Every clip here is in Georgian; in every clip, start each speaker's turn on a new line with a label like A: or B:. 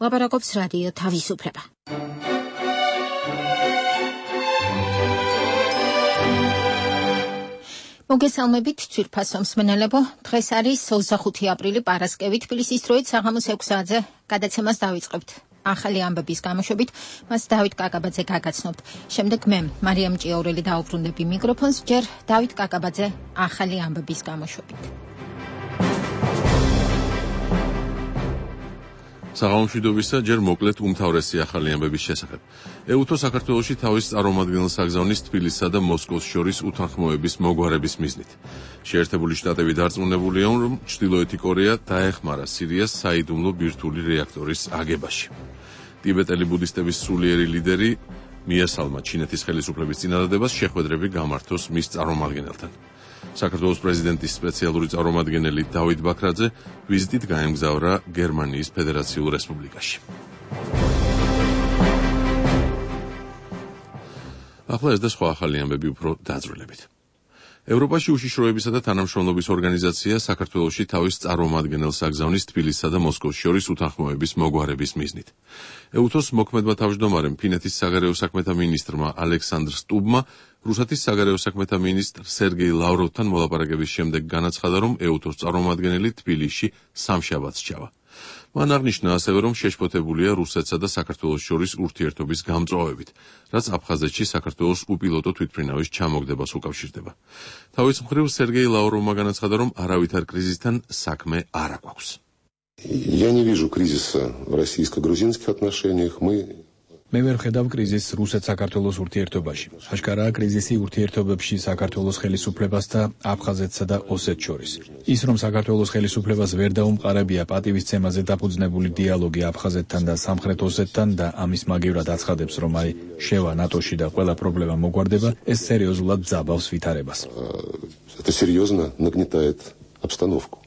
A: ლაპარაკობს რადიო თავისუფლება. მოგესალმებით ძვირფასო მსმენელებო, დღეს არის 25 აპრილი პარასკევი, თბილისის დროით საღამოს 6-ზე გადაცემას დავიწყებთ. ახალი ამბების გამოშვებით მას დავით კაკაბაძე გაგაცნობთ. შემდეგ მე, მარიამ ჭიაურელი დაუბრუნდები მიკროფონს, ჯერ დავით კაკაბაძე ახალი ამბების გამოშვებით.
B: საღამომშვიდობისა, ჯერ მოკლედ უმთავრესი ახალი ამბების შესახებ. ეუთო საქართველოში თავის წარმომადგენელს აგზავნის თბილისსა და მოსკოვს შორის უთანხმოების მოგვარების მიზნით. შეერთებული შტატები დარწმუნებულია, რომ ჩრდილოეთი კორეა დაეხმარა სირიას საიდუმლო ბირთვული რეაქტორის აგებაში. ტიბეტელი ბუდისტების სულიერი ლიდერი მიესალმა ჩინეთის ხელისუფლების წინადადებას შეხვედრები გამართოს მის წარმომადგენელთან. საქართველოს პრეზიდენტის სპეციალური წარმომადგენელი დავით ბაქრაძე ვიზიტით გაემგზავრა გერმანიის ფედერაციულ რესპუბლიკაში. ახლა ეს და სხვა ახალი ამბები უფრო დაძვრილებით. ევროპაში უშიშროებისა და თანამშრომლობის ორგანიზაცია საქართველოში თავის წარმომადგენელს აგზავნის თბილისსა და მოსკოვს შორის უთანხმოების მოგვარების მიზნით. ეუთოს მოქმედმა თავმჯდომარემ ფინეთის საგარეო საქმეთა მინისტრმა ალექსანდრ სტუბმა რუსეთის საგარეო საქმეთა მინისტრ სერგეი ლავროვთან მოლაპარაკების შემდეგ განაცხადა, რომ ეუთოს წარმომადგენელი თბილისში სამშაბათს ჩავა. მან აღნიშნა ასევე, რომ შეშფოთებულია რუსეთსა და საქართველოს შორის ურთიერთობის გამწვავებით, რაც აფხაზეთში საქართველოს უპილოტო თვითმფრინავის ჩამოგდებას უკავშირდება. თავის მხრივ სერგეი ლავროვმა განაცხადა, რომ არავითარ კრიზისთან საქმე არ აქვს.
C: Я не вижу кризиса в российско-грузинских отношениях.
D: მე ვერ ხედავ კრიზისს რუსეთ-საქართველოს ურთიერთობაში. აშკარაა კრიზისი ურთიერთობებში საქართველოს ხელისუფლებას და აფხაზეთსა და ოსეთს შორის. ის, რომ საქართველოს ხელისუფლებას ვერ დაუმყარებია პატივისცემაზე დაფუძნებული დიალოგი აფხაზეთთან და სამხრეთ ოსეთთან და ამის მაგივრად აცხადებს, რომ შევა ნატოში და ყველა პრობლემა მოგვარდება, ეს სერიოზულად ძაბავს ვითარებას.
C: Это серьезно нагнетает обстановку.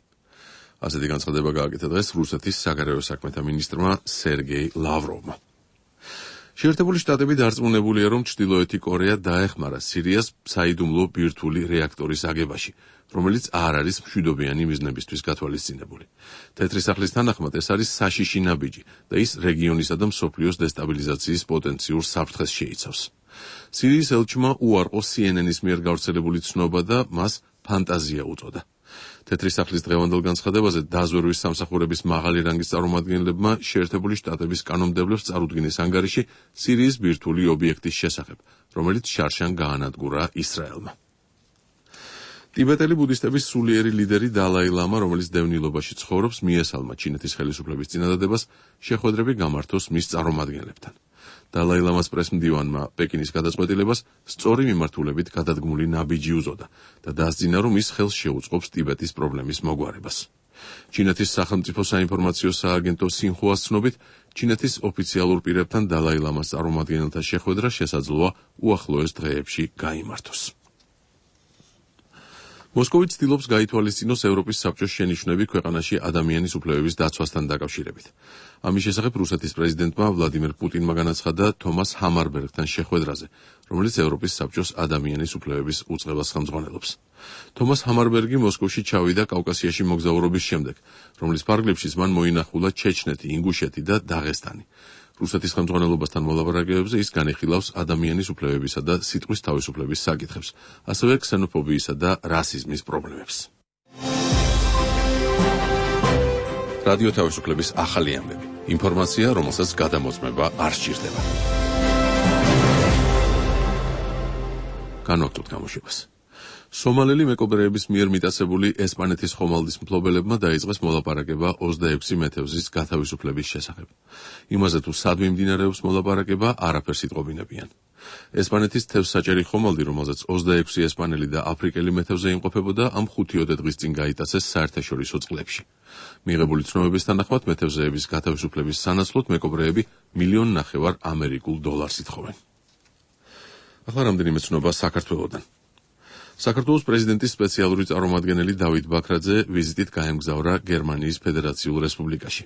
B: ასეთი განცხადება გააკეთა დღეს რუსეთის საგარეო საქმეთა მინისტრმა სერგეი ლავროვმა. შეერთებული შტატები დარწმუნებულია, რომ ჩრდილოეთი კორეა დაეხმარა სირიას საიდუმლო ბირთვული რეაქტორის აგებაში, რომელიც არ არის მშვიდობიანი მიზნებისთვის გათვალისწინებული. თეთრი სახლის თანახმად ეს არის საშიში ნაბიჯი და ის რეგიონისა და მსოფლიოს დესტაბილიზაციის პოტენციურ საფრთხეს შეიცავს. სირიის ელჩმა უარყო CNN-ის მიერ გავრცელებული ცნობა და მას ფანტაზია უწოდა. თეთრი სახლის დღევანდელ განცხადებაზე დაზვერვის სამსახურების მაღალი რანგის წარმომადგენლებმა შეერთებული შტატების კანონმდებლებს წარუდგინეს ანგარიში სირიის ბირთვული ობიექტის შესახებ, რომელიც შარშან გაანადგურა ისრაელმა. ტიბეტელი ბუდისტების სულიერი ლიდერი დალაი ლამა, რომელიც დევნილობაში ცხოვრობს, მიესალმა ჩინეთის ხელისუფლების წინადადებას შეხვედრები გამართოს მის წარმომადგენლებთან. დალაი ლამას პრესმდივანმა პეკინის გადაწყვეტილებას სწორი მიმართულებით გადადგმული ნაბიჯი უწოდა და დასძინა, რომ ის ხელს შეუწყობს ტიბეტის პრობლემის მოგვარებას. ჩინეთის სახელმწიფო საინფორმაციო სააგენტო სინხუას ცნობით, ჩინეთის ოფიციალურ პირებთან დალაი ლამას წარმომადგენელთა შეხვედრა შესაძლოა უახლოეს დღეებში გაიმართოს. მოსკოვი ცდილობს გაითვალისწინოს ევროპის საბჭოს შენიშვნები ქვეყანაში ადამიანის უფლებების დაცვასთან დაკავშირებით. ამის შესახებ რუსეთის პრეზიდენტმა ვლადიმერ პუტინმა განაცხადა თომას ჰამარბერგთან შეხვედრაზე, რომელიც ევროპის საბჭოს ადამიანის უფლებების უწყებას ხელმძღვანელობს. თომას ჰამარბერგი მოსკოვში ჩავიდა კავკასიაში მოგზაურობის შემდეგ, რომლის ფარგლებშიც მან მოინახულა ჩეჩნეთი, ინგუშეთი და დაღესტანი. რუსეთის ხელმძღვანელობასთან მოლაპარაკებებზე ის განიხილავს ადამიანის უფლებებისა და სიტყვის თავისუფლების საკითხებს, ასევე ქსენოფობიისა და რასიზმის პრობლემებს. რადიო თავისუფლების ახალი ამბები. ინფორმაცია, რომელსაც გადამოწმება არ სჭირდება. განვაგრძობთ გამოშვებას. სომალელი მეკობრეების მიერ მიტაცებული ესპანეთის ხომალდის მფლობელებმა დაიწყეს მოლაპარაკება 26 მეთევზის გათავისუფლების შესახებ. იმაზე თუ სად მიმდინარეობს მოლაპარაკება, არაფერს იტყობინებიან. ესპანეთის თევზსაჭერი ხომალდი, რომელზეც 26 ესპანელი და აფრიკელი მეთევზე იმყოფებოდა, ამ 5 დღის წინ გაიტაცეს საერთაშორისო წყლებში. მიღებული ცნობების თანახმად მეთევზეების გათავისუფლების სანაცვლოდ მეკობრეები $1.5 მილიონ ამერიკულ დოლარს ითხოვენ. ახლა რამდენიმე ცნობა საქართველოდან. საქართველოს პრეზიდენტის სპეციალური წარმომადგენელი დავით ბაქრაძე ვიზიტით გაემგზავრა გერმანიის ფედერაციულ რესპუბლიკაში.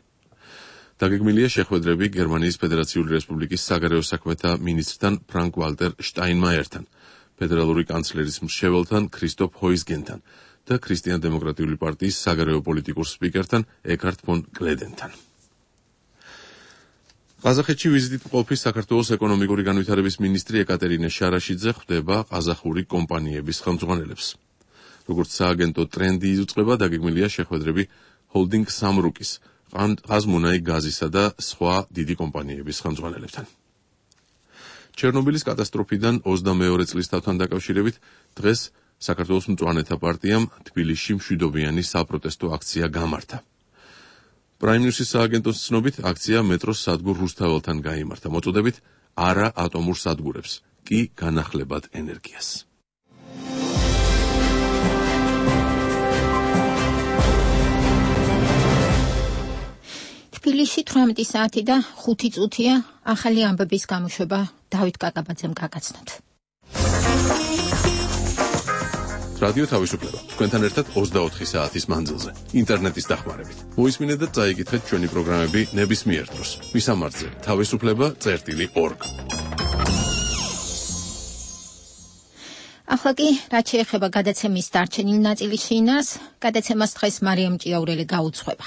B: დაგეგმილია შეხვედრები გერმანიის ფედერაციული რესპუბლიკის საგარეო საქმეთა მინისტრთან ფრანკ ვალტერ შტაინმაიერთან, ფედერალური კანცლერის მრჩეველთან ქრისტოფ ჰოიზგენთან და ქრისტიან-დემოკრატიული პარტიის საგარეო პოლიტიკურ სპიკერთან ეკჰარდ ფონ კლედენთან. ყაზახეთში ვიზიტით მყოფი საქართველოს ეკონომიკური განვითარების მინისტრი ეკატერინე შარაშიძე ხვდება ყაზახური კომპანიების ხელმძღვანელებს. როგორც სააგენტო ტრენდი იუწყება, დაგეგმილია შეხვედრები ჰოლდინგ სამრუკის, ყაზმუნაი გაზისა და სხვა დიდი კომპანიების ხელმძღვანელებთან. ჩერნობილის კატასტროფიდან 22 წლის თავთან დაკავშირებით დღეს საქართველოს მწვანეთა პარტიამ თბილისში მშვიდობიანი საპროტესტო აქცია გამართა. Prime News-ის სააგენტოს ცნობით, აქცია მეტროს სადგურ რუსთაველთან გაიმართა, მოწოდებით არა ატომურ სადგურებს, კი განახლებად ენერგიას.
A: თბილისში 18 საათი და 5 წუთია ახალი ამბების გამოშვება დავით კაკაბაძემ გაგაცნოთ.
B: რადიო თავისუფლება. თქვენთან ერთად 24 საათის მანძილზე, ინტერნეტის დახმარებით. მოისმინეთ და წაიკითხეთ ჩვენი პროგრამები ნებისმიერ დროს. მისამართზე თავისუფლება.org.
A: ახლა კი, რაც შეეხება გადაცემის დარჩენილ ნაწილის შინას, გადაცემას დღეს მარიამ ჭიაურელი გაუძღვება.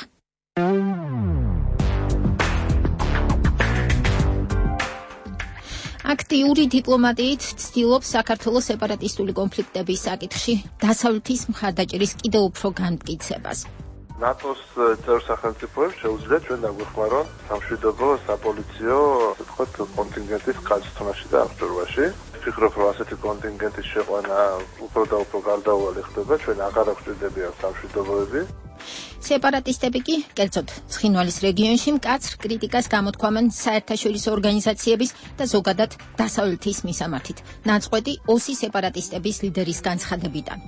A: აქტიური დიპლომატიით ცდილობს საქართველოს სეპარატისტული კონფლიქტების საკითხში დასავლეთის მხარდაჭერის კიდევ უფრო განმტკიცებას.
E: ნატოს წევრ სახელმწიფოებს შეუძლიათ ჩვენ დაგვეხმაროთ სამშვიდობო საპოლიციო, ვთქვათ, კონტინგენტის გაწმენდაში და აღჭურვაში. ვფიქრობ, რომ ასეთი კონტინგენტის შეყვანა უფრო და უფრო გარდაუვალი ხდება, ჩვენ აღარ გვჭირდებიან სამშვიდობოები.
A: სეპარატისტები კი, კერძოდ, ცხინვალის რეგიონში მკაცრ კრიტიკას გამოთქვამენ საერთაშორისო ორგანიზაციების და ზოგადად დასავლეთის მისამართით. ნაწყვეტი ოსი სეპარატისტების ლიდერის განცხადებიდან.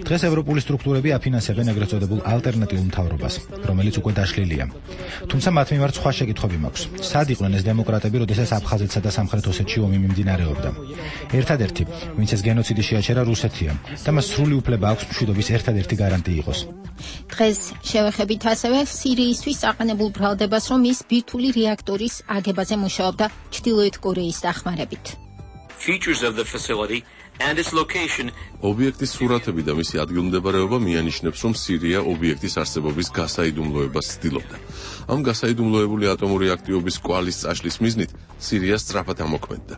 F: დღეს ევროპული სტრუქტურები აფინანსებენ ეგრეთ წოდებულ ალტერნატიულ მთავრობას, რომელიც უკვე დაშლილია. თუმცა მათ მიმართ სხვა შეკითხვები მაქვს. სად იყვნენ ეს დემოკრატები, როდესაც აფხაზეთსა და სამხრეთ ოსეთში ომი მიმდინარეობდა? ერთადერთი, ვინც ეს გენოციდი შეაჩერა, რუსეთია და მას სრული უფლება აქვს მშვიდობის ერთადერთი გარანტი იყოს.
A: დღეს შევეხებით ასევე სირიისთვის აყენებულ ბრალდებას, რომ ის ბირთვული რეაქტორის აგებაზე მუშაობდა ჩრდილოეთ კორეის დახმარებით.
G: Features of the facility and its location.
B: ობიექტის სურათები და მისი ადგილმდებარეობა მიანიშნებს, რომ სირია ობიექტის არსებობის გასაიდუმლოებას ცდილობდა. ამ გასაიდუმლოებული ატომური აქტივობის კვალის წაშლის მიზნით სირია სწრაფად ამოქმედდა.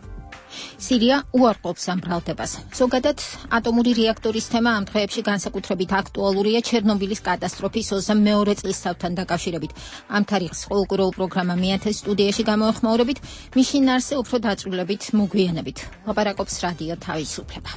A: სირია უარყოფს ამ ბრალდებას. ზოგადად, ატომური რეაქტორის თემა ამ დღეებში განსაკუთრებით აქტუალურია ჩერნობილის კატასტროფის 22 წლის თავთან დაკავშირებით. ამ თარიღს ყოველკვირეულ პროგრამა მიათეს სტუდიაში გამოეხმაურებით, მის შინაარსზე უფრო დაწვრილებით მოგვიანებით. ლაპარაკობს რადიო თავისუფლება.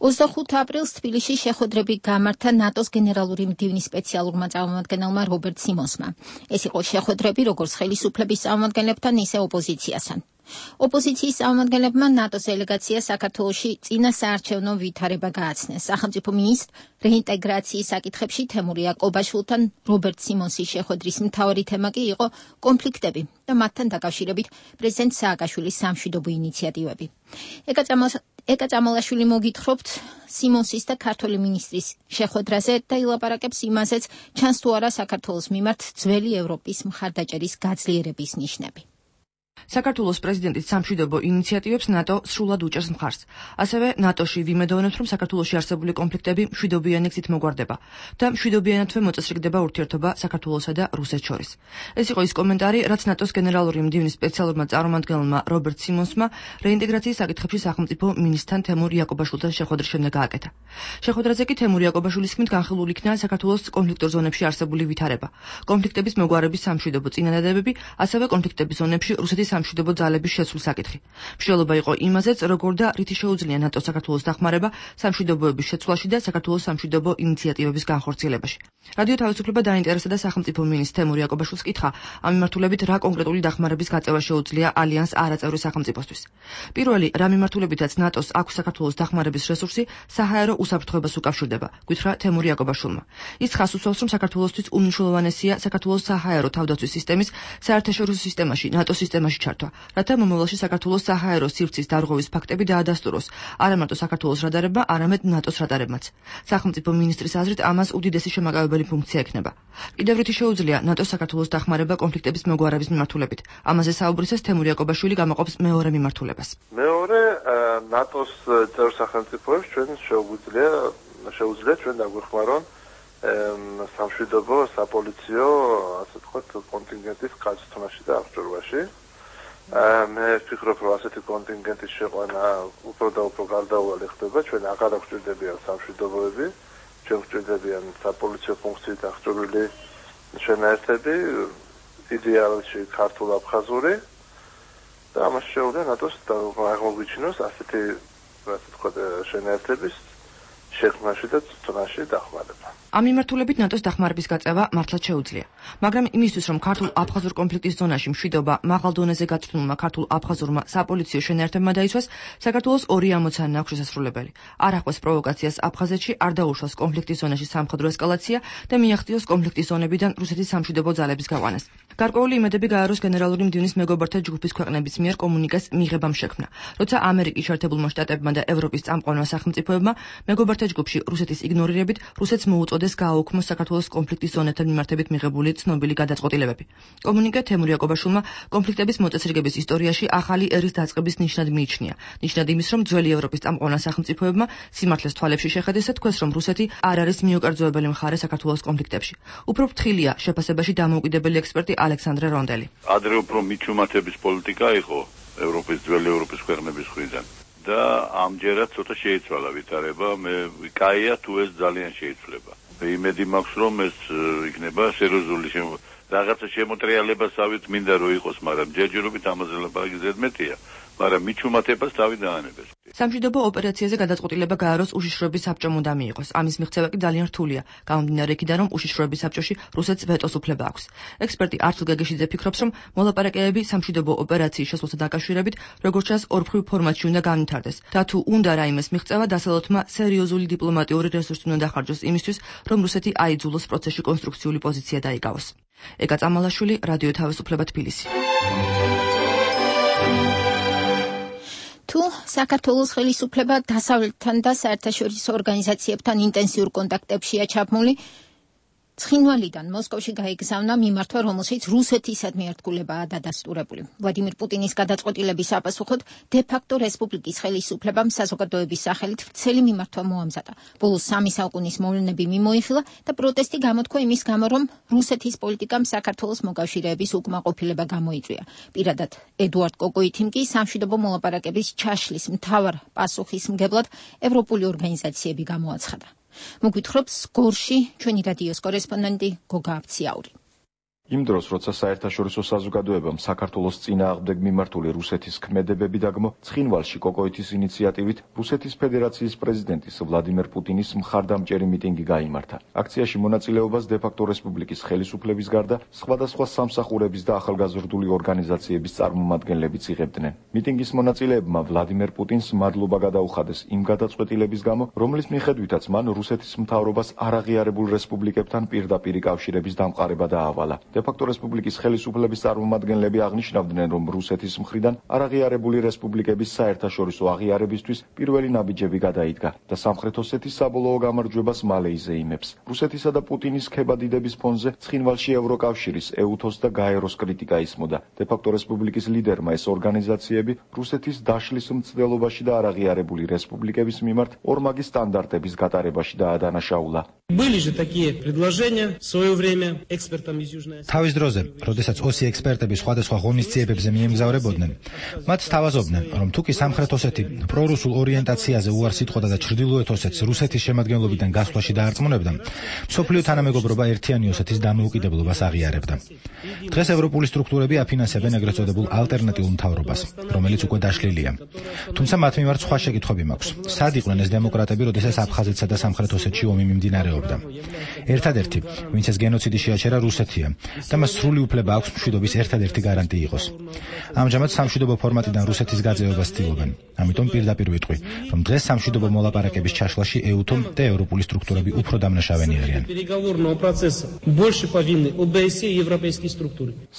A: 25 აპრილს თბილისში შეხვედრები გამართა ნატოს გენერალური მდივნის სპეციალურმა წარმომადგენელმა რობერტ სიმონსმა. ეს იყო შეხვედრები როგორც ხელისუფლების წარმომადგენლებთან, ისე ოპოზიციასთან. ოპოზიციის წარმომადგენლებმა ნატოს დელეგაცია საქართველოში წინა საარჩევნო ვითარება გააცნეს. სახელმწიფო მინისტრ რეინტეგრაციის საკითხებში თემურ იაკობაშვილთან რობერტ სიმონსის შეხვედრის მთავარი თემა კი იყო კონფლიქტები და მათთან დაკავშირებით პრეზიდენტ სააკაშვილის სამშვიდობო ინიციატივები. ეკა წამალაშვილი მოგითხრობთ სიმონსის და ქართველი მინისტრის შეხვედრაზე და ილაპარაკებს იმაზეც, ჩანს თუ არა საქართველოს მიმართ ძველი ევროპის მხარდაჭერის გაძლიერების ნიშნები.
H: საქართველოს პრეზიდენტის სამშვიდობო ინიციატივებს ნატო სრულად უჭერს მხარს. ასევე ნატოში ვიმედოვნებთ, რომ საქართველოში არსებული კონფლიქტები მშვიდობიანი გზით მოგვარდება და მშვიდობიანათვე მოწესრიგდება ურთიერთობა საქართველოსა და რუსეთს შორის. ეს იყო ის კომენტარი, რაც ნატოს გენერალური მდივნის სპეციალურმა წარმომადგენელმა რობერტ სიმონსმა რეინტეგრაციის საკითხებში სახელმწიფო მინისტრთან თემურ იაკობაშვილთან შეხვედრის შემდეგ გააკეთა. შეხვედრაზე კი თემურ იაკობაშვილის თქმით განხილული იქნა საქართველოს კონფლიქტურ ზონებში არსებული ვითარება, კონფლიქტების მოგვარების სამშვიდობო წინადადებები, ასევე კონფლიქტების ზონებში რუსეთის სამშვიდობო ძალების შეცვლის საკითხი. მშრალობა იყო იმაზეც, როგორ და რითი შეუძლია ნატოს საქართველოს დახმარება სამშვიდობოების შეცვლაში და საქართველოს სამშვიდობო ინიციატივების განხორციელებაში. რადიო თავისუფლება დაინტერესდა და სახელმწიფო მინისტრ თემურ იაკობაშვილს კითხა, ამ მიმართულებით რა კონკრეტული დახმარების გაწევა შეუძლია ალიანს არაწევრი სახელმწიფოსთვის. პირველი, რა მიმართულებითაც ნატოს აქვს საქართველოს დახმარების რესურსი, საჰაერო უსაფრთხოებას უკავშირდება, გითხრა თემურ იაკობაშვილმა. ის ხაზს უსვამს, რომ საქართველოსთვის უმნიშვნელოვანესია საქართველოს საჰაერო თავდაცვის სისტემის საერთაშორისო სისტემაში, ნატოს სისტემაში ჩართვა, რათა მომავალში საქართველოს საჰაერო სივრცის დარღვევის ფაქტები დაადასტუროს, არა მარტო საქართველოს რადარებმა, არამედ ნატოს რადარებმაც. სახელმწიფო მინისტრის აზრით, ამას უდიდესი შემაკავებელი ფუნქცია ექნება. კიდევ რითი შეუძლია ნატოს საქართველოს დახმარება კონფლიქტების მოგვარების მიმართულებით. ამაზე საუბრისას თემურ იაკობაშვილი გამოყოფს მეორე მიმართულებას.
E: მეორე, ნატოს წევრ სახელმწიფოებს ჩვენ შეუძლია ჩვენ დაგვეხმარონ სამშვიდობო საპოლიციო, ასე ვთქვათ, კონტინგენტის გაწმენდაში და აღჭურვაში. მე ვფიქრობ, რომ ასეთი კონტინგენტის შეყვანა უფრო და უფრო გარდაუვალი ხდება, ჩვენ აღარ გვჭირდებიან სამშვიდობოები, ჩვენ გვჭირდებიან საპოლიციო ფუნქციით აღჭურვილი შენაერთები, იდეალში ქართულ-აფხაზური და ამას შეუძლია ნატოს აღმოგვიჩინოს ასეთი, ასე ვთქვათ, შენაერთების შექმნაში და წვრთნაში დახმარება.
H: ამ მიმართულებით ნატოს დახმარების გაწევა მართლაც შეუძლია. მაგრამ იმისთვის, რომ ქართულ-აფხაზურ კონფლიქტის ზონაში მშვიდობა მაღალ დონეზე გაწვრთნილმა ქართულ-აფხაზურმა საპოლიციო შენაერთებმა დაიცვას, საქართველოს ორი ამოცანა აქვს შესასრულებელი. არ ახდენს პროვოკაციას აფხაზეთში, არ დაუშვას კონფლიქტის ზონაში სამხედრო ესკალაცია და მიაღწიოს კონფლიქტის ზონებიდან რუსეთის სამშვიდობო ძალების გაყვანას. გარკვეული იმედები გააროს გენერალური მდივნის მეგობართა ჯგუფის ქვეყნების მიერ კომუნიკეს მიღებამ შექმნა. როცა ამერიკის შეერთებულმა შტატებმა და ევროპის წამყვანმა სახელმწიფოებმა მეგობართა ჯგუფში რუსეთის იგნორირებით რუსეთს მოუწოდეს გააუქმოს საქართველოს კონფლიქტის ზონებთან მიმართებით მიღებული ცნობილი გადაწყვეტილებები. კომუნიკე თემურ იაკობაშვილმა კონფლიქტების მოწესრიგების ისტორიაში ახალი ერის დაწყების ნიშნად მიიჩნია. ნიშნად იმის, რომ ძველი ევროპის წამყვან სახელმწიფოებმა სიმართლეს თვალებში შეხედეს და თქვეს, რომ რუსეთი არ არის მიუკერძოებელი მხარე საქართველოს კონფლიქტებში. უფრო ფრთხილია შეფასებაში დამოუკიდებელი ექსპერტი ალექსანდრე რონდელი.
I: ადრე უფრო მიჩუმათების პოლიტიკა იყო ძველი ევროპის ქვეყნების მხრიდან. და ამჯერად ცოტა შეიცვალა ვითარება, მე კაია თუ ეს ძალიან შეიცვლება. მე იმედი მაქვს, რომ ეს იქნება სერიოზული რაღაცა შემოტრიალებასავით მინდა რომ იყოს, მაგრამ ჯერჯერობით ამაზე ლაპარაკი ზედმეტია, მაგრამ მიჩუმათებას თავი დაანებეს.
H: სამშვიდობო ოპერაციაზე გადაწყვეტილება გააროს უშიშროების საბჭომ უნდა მიიღოს. ამის მიღწევა კი ძალიან რთულია, გამომდინარე იქიდან, რომ უშიშროების საბჭოში რუსეთს ვეტოს უფლება აქვს. ექსპერტი ართულ გეგეშიძე ფიქრობს, რომ მოლაპარაკებები სამშვიდობო ოპერაციის შესვლასთან დაკავშირებით, როგორც ჩანს, ორმხრივ ფორმატში უნდა განვითარდეს. და თუ უნდა რაიმეს მიღწევა, დასავლეთმა სერიოზული დიპლომატიური რესურსი უნდა დახარჯოს იმისთვის, რომ რუსეთი აიძულოს პროცესში კონსტრუქციული პოზიცია დაიკავოს. ეკა წამალაშვილი, რადიო თავისუფლება თბილისი.
A: თუ საქართველოს ხელისუფლება დასავლეთთან და საერთაშორისო ორგანიზაციებთან ინტენსიურ კონტაქტებშია ჩაბმული, ცხინვალიდან მოსკოვში გაიგზავნა მიმართვა, რომელშიც რუსეთისადმი ერთგულებაა დადასტურებული. ვლადიმირ პუტინის გადაწყვეტილების საპასუხოდ დე-ფაქტო რესპუბლიკის ხელისუფლებამ საზოგადოების სახელით ვრცელი მიმართვა მოამზადა. ბოლოს 3 საუკუნის მოვლენები მიმოიხილა და პროტესტი გამოთქვა იმის გამო, რომ რუსეთის პოლიტიკამ საქართველოს მოკავშირეების უკმაყოფილება გამოიწვია. პირადად ედუარდ კოკოითიმ კი სამშვიდობო მოლაპარაკების ჩაშლის მთავარ პასუხისმგებლად ევროპული ორგანიზაციები გამოაცხადა. მოგვითხრობს გორში ჩვენი რადიოს კორესპონდენტი გოგა აფციაური.
J: იმ დროს, როცა საერთაშორისო საზოგადოებამ საქართველოს წინააღმდეგ მიმართული რუსეთის ქმედებები დაგმო, ცხინვალში კოკოითის ინიციატივით რუსეთის ფედერაციის პრეზიდენტის ვლადიმერ პუტინის მხარდამჭერი მიტინგი გაიმართა. აქციაში მონაწილეობას დე-ფაქტო რესპუბლიკის ხელისუფლების გარდა სხვადასხვა სამსახურების და ახალგაზრდული ორგანიზაციების წარმომადგენლებიც იღებდნენ. მიტინგის მონაწილეებმა ვლადიმერ პუტინს მადლობა გადაუხადეს იმ გადაწყვეტილების გამო, რომლის მიხედვითაც მან რუსეთის მთავრობას არაღიარებულ რესპუბლიკებთან პირდაპირი კავშირების დამყარება დაავალა. დე-ფაქტო რესპუბლიკის ხელისუფლების წარმომადგენლები აღნიშნავდნენ, რომ რუსეთის მხრიდან არაღიარებული რესპუბლიკების საერთაშორისო აღიარებისთვის პირველი ნაბიჯები გადაიდგა და სამხრეთ ოსეთის საბოლოო გამარჯვებას მალე იზეიმებს. რუსეთისა და პუტინის ქებადიდების ფონზე ცხინვალში ევროკავშირის, ეუთოს და გაეროს კრიტიკა ისმოდა. დე-ფაქტო რესპუბლიკის ლიდერმა ეს ორგანიზაციები რუსეთის დაშლის მცდელობაში და არაღიარებული რესპუბლიკების მიმართ ორმაგი სტანდარტების გატარებაში დაადანაშაულა.
K: Были же такие предложения в свое время экспертам из Южной
F: თავის დროზე, როდესაც ოსი ექსპერტები სხვადასხვა ღონისძიებებზე მიემგზავრებოდნენ, მათ სთავაზობდნენ, რომ თუკი სამხრეთ ოსეთი პრორუსულ ორიენტაციაზე უარს იტყოდა და ჩრდილოეთ ოსეთს რუსეთის შემადგენლობიდან გასვლაში დაარწმუნებდა, მსოფლიო თანამეგობრობა ერთიანი ოსეთის დამოუკიდებლობას აღიარებდა. დღეს ევროპული სტრუქტურები აფინანსებენ ეგრეთ წოდებულ ალტერნატიულ მთავრობას, რომელიც უკვე დაშლილია. თუმცა მათ მიმართ სხვა შეკითხვები მაქვს. სად იყვნენ ეს დემოკრატები, როდესაც აფხაზეთსა და სამხრეთ ოსეთში ომი მიმდინარეობდა? ერთადერთი, ვინც ეს გენოციდი შეაჩერა, რუსეთია. და მას სრული უფლება აქვს მშვიდობის ერთადერთი გარანტი იყოს. ამჟამად სამშვიდობო ფორმატიდან რუსეთის გაძევებას ცდილობენ. ამიტომ პირდაპირ ვიტყვი, რომ დღეს სამშვიდობო მოლაპარაკების ჩაშლაში ეუთომ და ევროპული სტრუქტურები უფრო დამნაშავენი არიან.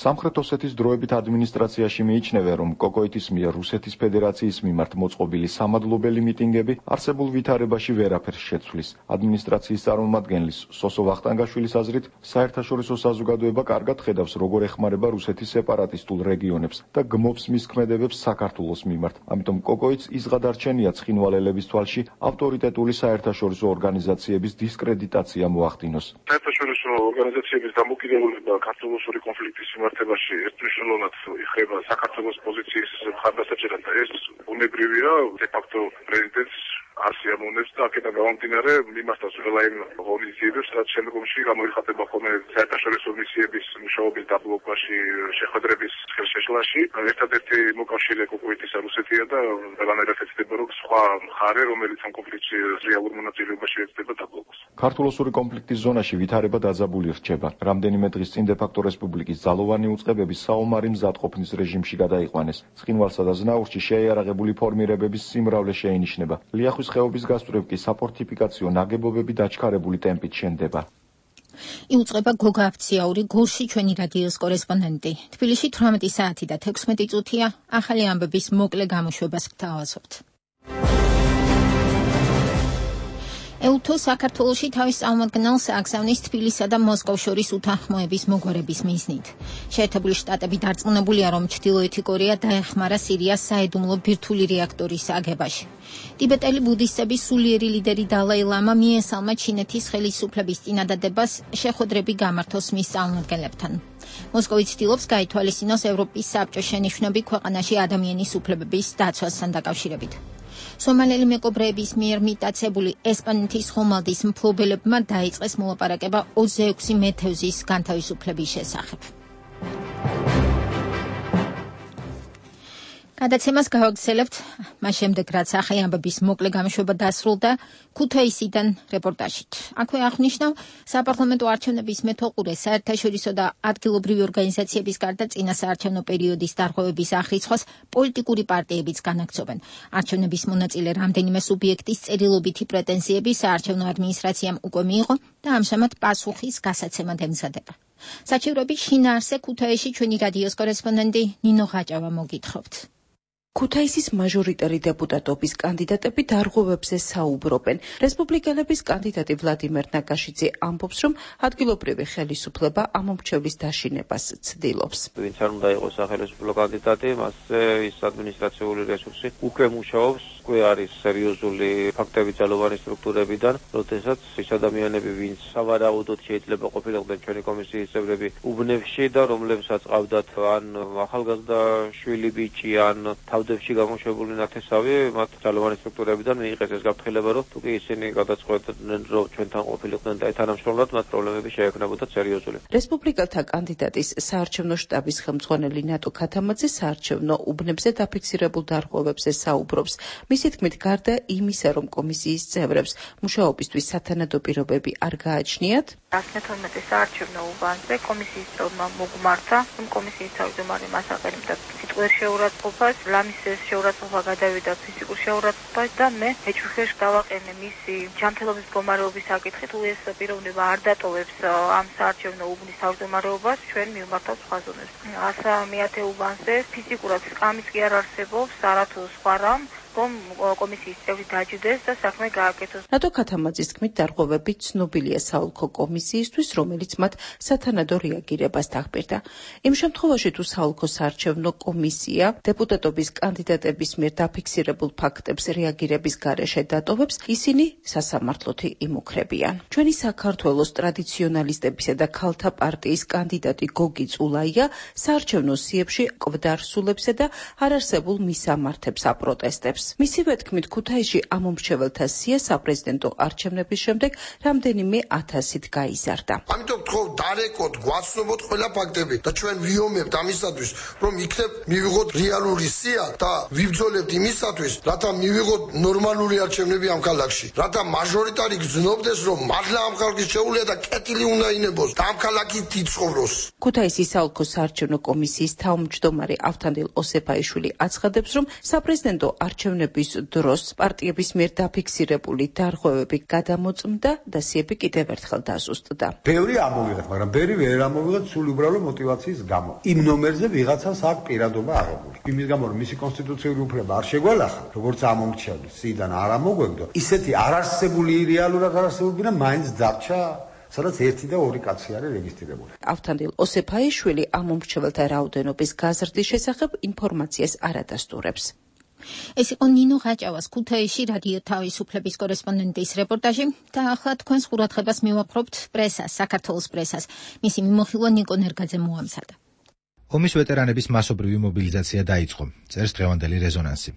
J: სამხრეთ ოსეთის დროებით ადმინისტრაციაში მიიჩნევენ, რომ კოკოითის მიერ რუსეთის ფედერაციის მიმართ მოწყობილი სამადლობელი მიტინგები არსებულ ვითარებაში ვერაფერს შეცვლის. ადმინისტრაციის წარმომადგენლის სოსო ვახტანგაშვილის აზრით, საერთაშორისო საზოგადოება კარგად ხედავს, როგორ ეხმარება რუსეთის სეპარატისტულ რეგიონებს და გმობს მის ქმედებებს საქართველოს მიმართ. ამიტომ კოკოიც იზღადარჩენია ცხინვალელების თვალში ავტორიტეტული საერთაშორისო ორგანიზაციების დისკრედიტაცია მოახდინოს.
E: საერთაშორისო ორგანიზაციების დამოკიდებულება ქართულ-რუსული კონფლიქტის მიმართებაში ერთმნიშვნელოვნად იხრება საქართველოს პოზიციის მხარდასაჭერად და ეს ბუნებრივია, დე-ფაქტო პრეზიდენტს არ სიამოვნებს და აქედან გამომდინარე მიმართავს ყველა იმ ღონისძიებებს, რაც შემდგომში გამოიხატება ხოლმე საერთაშორისო მისიების მუშაობის დაბლოკაში, შეხვედრების ხელშეშლაში. ერთადერთი მოკავშირე კოკოიტისა რუსეთია და ყველანაირად ეცდება, რომ სხვა მხარე, რომელიც ამ კონფლიქტში რეალურ მონაწილეობაში ეცდება დაბლოკოს.
J: ქართულ-რუსული კონფლიქტის ზონაში ვითარება დაძაბული რჩება. რამდენიმე დღის წინ დე-ფაქტო რესპუბლიკის ძალოვანი უწყებები საომარი მზადყოფნის რეჟიმში გადაიყვანეს. ცხინვალსა და ზნაურში შეიარაღებული ფორმირებების სიმრავლე შეინიშნება. ლიახვის ხეობის გასწვრივ კი საფორტიფიკაციო ნაგებობები დაჩქარებული ტემპით შენდება.
A: იუწყება გოგა აფციაური, გულში ჩვენი რადიოს კორესპონდენტი. თბილისში 18 საათი და 16 წუთია. ახალი ამბების მოკლე გამოშვებას გთავაზობთ. ელთო საქართველოში თავის წარმომადგენელს აგზავნის თბილისსა და მოსკოვს შორის უთანხმოების მოგვარების მიზნით. შეერთებული შტატები დარწმუნებულია, რომ ჩრდილოეთი კორეა დაეხმარა სირიას საიდუმლო ბირთვული რეაქტორის აგებაში. ტიბეტელი ბუდისტების სულიერი ლიდერი დალაი ლამა მიესალმა ჩინეთის ხელისუფლების წინადადებას შეხვედრები გამართოს მის წარმომადგენლებთან. მოსკოვი ცდილობს გაითვალისწინოს ევროპის საბჭოს შენიშვნები ქვეყანაში ადამიანის უფლებების დაცვასთან დაკავშირებით. სომალელი მეკობრეების მიერ მიტაცებული ესპანეთის ხომალდის მფლობელებმა დაიწყეს მოლაპარაკება 26 მეთევზის განთავისუფლების შესახებ. გადაცემას გავაგრძელებთ მას შემდეგ, რაც ახალი ამბების მოკლე გამოშვება დასრულდა ქუთაისიდან რეპორტაჟით. აქვე აღნიშნავ, საპარლამენტო არჩევნების მეთვალყურე საერთაშორისო და ადგილობრივი ორგანიზაციების გარდა წინა საარჩევნო პერიოდის დარღვევების აღრიცხვას პოლიტიკური პარტიებიც განაგრძობენ. არჩევნების მონაწილე რამდენიმე სუბიექტის წერილობითი პრეტენზიები საარჩევნო ადმინისტრაციამ უკვე მიიღო და ამჟამად პასუხის გასაცემად ემზადება. საჩივრების შინაარსზე ქუთაისში ჩვენი რადიოს კორესპონდენტი ნინო ღაჭავა მოგითხრობთ.
L: ქუთაისის მაჟორიტარი დეპუტატობის კანდიდატები დარღვევებზე საუბრობენ. რესპუბლიკელების კანდიდატი ვლადიმერ ნაკაშიძე ამბობს, რომ ადგილობრივი ხელისუფლება ამომრჩევლის დაშინებას ცდილობს.
M: ვინც არ უნდა იყოს სახელმწიფო კანდიდატი, მასზე ის ადმინისტრაციული რესურსი უკვე მუშაობს, უკვე არის სერიოზული ფაქტები ძალოვანი სტრუქტურებიდან, როდესაც ის ადამიანები, ვინც სავარაუდოდ შეიძლება ყოფილიყდნენ ჩვენი კომისიის წევრები უბნებში და რომლებსაც ყავდათ ან ახალგაზრდა შვილი ბიჭი ან თავდებში გამოშვებული ნათესავი, მათ ძალოვანი სტრუქტურებიდან მიიღეს ეს გაფრთხილება, რომ თუ კი ისინი გადაწყვეტდნენ, რომ ჩვენთან ყოფილიყვნენ და თანამშრომლად, მათ პრობლემები შეექმნებოდათ სერიოზული.
L: რესპუბლიკელთა კანდიდატის საარჩევნო შტაბის ხელმძღვანელი ნატო ქათამაძე საარჩევნო უბნებზე დაფიქსირებულ დარღვევებზე საუბრობს. მისი თქმით, გარდა იმისა, რომ კომისიის წევრებს მუშაობისთვის სათანადო პირობები არ გააჩნიათ,
N: 112 საარჩევნო უბანზე კომისიის წევრმა მოგმართა, რომ კომისიის თავმჯდომარე მას აყენებდა სიტყვიერ შეურაცხყოფას, ლამის შეურაცხყოფა გადავიდა ფიზიკურ შეურაცხყოფას და მე ეჭვხეშ დავაყენე მისი ჯანმრთელობის მდგომარეობის საკითხით, თუ ეს პიროვნება არ დატოვებს ამ საარჩევნო უბნის თავმჯდომარეობას, ჩვენ მივმართავთ სხვა ზონებს. 109 უბანზე ფიზიკურად სკამის კი არ არსებობს, არათუ სხვა რამ, რომ კომისიის წევრი დაჯდეს და საქმე გააკეთოს.
L: ნატო ქათამაძის თქმით, დარღვევები ცნობილია საოლქო კომისიისთვის, რომელიც მათ სათანადო რეაგირებას დახბირდა. იმ შემთხვევაში, თუ საოლქო საარჩევნო კომისია დეპუტატობის კანდიდატების მიერ დაფიქსირებულ ფაქტებს რეაგირების გარეშე დატოვებს, ისინი სასამართლოთი იმუქრებიან. ჩვენი საქართველოს ტრადიციონალისტებისა და ქალთა პარტიის კანდიდატი გოგი წულაია საარჩევნო სიებში კვდარსულებსა და არარსებულ მისამართებს აპროტესტებს. მისივე თქმით, ქუთაისში ამომრჩეველთა სია საპრეზიდენტო არჩევნების შემდეგ რამდენიმე 1000-ით გაიზარდა.
O: ამიტომ თქო დარეკოთ, გვაცნობოთ ყველა ფაქტები და ჩვენ ვიომებთ ამისათვის, რომ იქნებ მივიღოთ რეალური სია და ვიბრძოლებთ იმისათვის, რათა მივიღოთ ნორმალური არჩევნები ამ ქალაქში. რათა მაჟორიტარი გრძნობდეს, რომ მართლა ამ ხალხის შეუძლია და კეთილი უნდა ინებოს და ამ ქალაქით იცხოვროს.
L: ქუთაისის საოლქო საარჩევნო კომისიის თავმჯდომარე ავთანდილ ოსეფაიშვილი აცხადებს, რომ საპრეზიდენტო არჩევნების დროს პარტიების მიერ დაფიქსირებული დარღვევები გადამოწმდა და სიები კიდევ ერთხელ დაზუსტდა.
P: ბევრი ამოვიღეთ, მაგრამ ბევრი ვერ ამოვიღეთ სულ უბრალო მოტივაციის გამო. იმ ნომერზე ვიღაცას აქვს პირადობა აღებული. იმის გამო, რომ მისი კონსტიტუციური უფლება არ შეგვალახა, როგორც ამომრჩევლის სიიდან არ ამოგვეგდო, ისეთი არარსებული რეალურად არარსებულია, მაინც დარჩა სადაც 1 და 2 კაცი არის რეგისტრირებული.
L: ავთანდილ ოსეფაიშვილი ამ მომრჩეველთა რაოდენობის გაზრდის შესახებ ინფორმაციას არ ადასტურებს.
A: ეს იყო ნინო ღაჭავას ქუთაისში რადიო თავისუფლების კორესპონდენტის რეპორტაჟი და ახლა თქვენს ყურადღებას მივაპყრობთ პრესას, საქართველოს პრესას. მისი მიმოხილვა ნიკო ნერგაძე მოამზადა.
F: ომის ვეტერანების მასობრივი მობილიზაცია დაიწყო. წერს დღევანდელი რეზონანსი.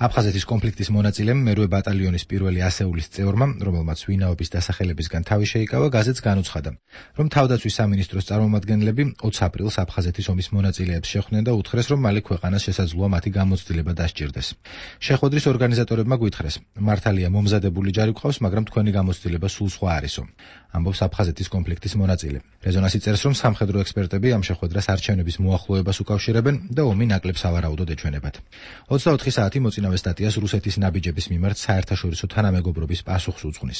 F: აფხაზეთის კონფლიქტის მონაწილემ მერვე ბატალიონის პირველი ასეულის წევრმა, რომელმაც ვინაობის დასახელებისგან თავი შეიკავა, გაზეთს განუცხადა, რომ თავდაცვის სამინისტროს წარმომადგენლები 20 აპრილს აფხაზეთის ომის მონაწილეებს შეხვდნენ და უთხრეს, რომ მალე ქვეყანას შესაძლოა მათი გამოცდილება დასჭირდეს. შეხვედრის ორგანიზატორებმა გვითხრეს, მართალია მომზადებული ჯარი გვყავს, მაგრამ თქვენი გამოცდილება სულ სხვა არისო. ამბობს აფხაზეთის კონფლიქტის მონაწილე. რეზონანსი წერს, რომ სამხედრო ექსპერტები ამ შეხვედრას არჩევნების მოახლოებას უკავშირებენ და ომი ნაკლებ სავარაუდოდ ეჩვენებათ. 24 საათი მოწინავე სტატიას რუსეთის ნაბიჯების მიმართ საერთაშორისო თანამეგობრობის პასუხს უძღვნის.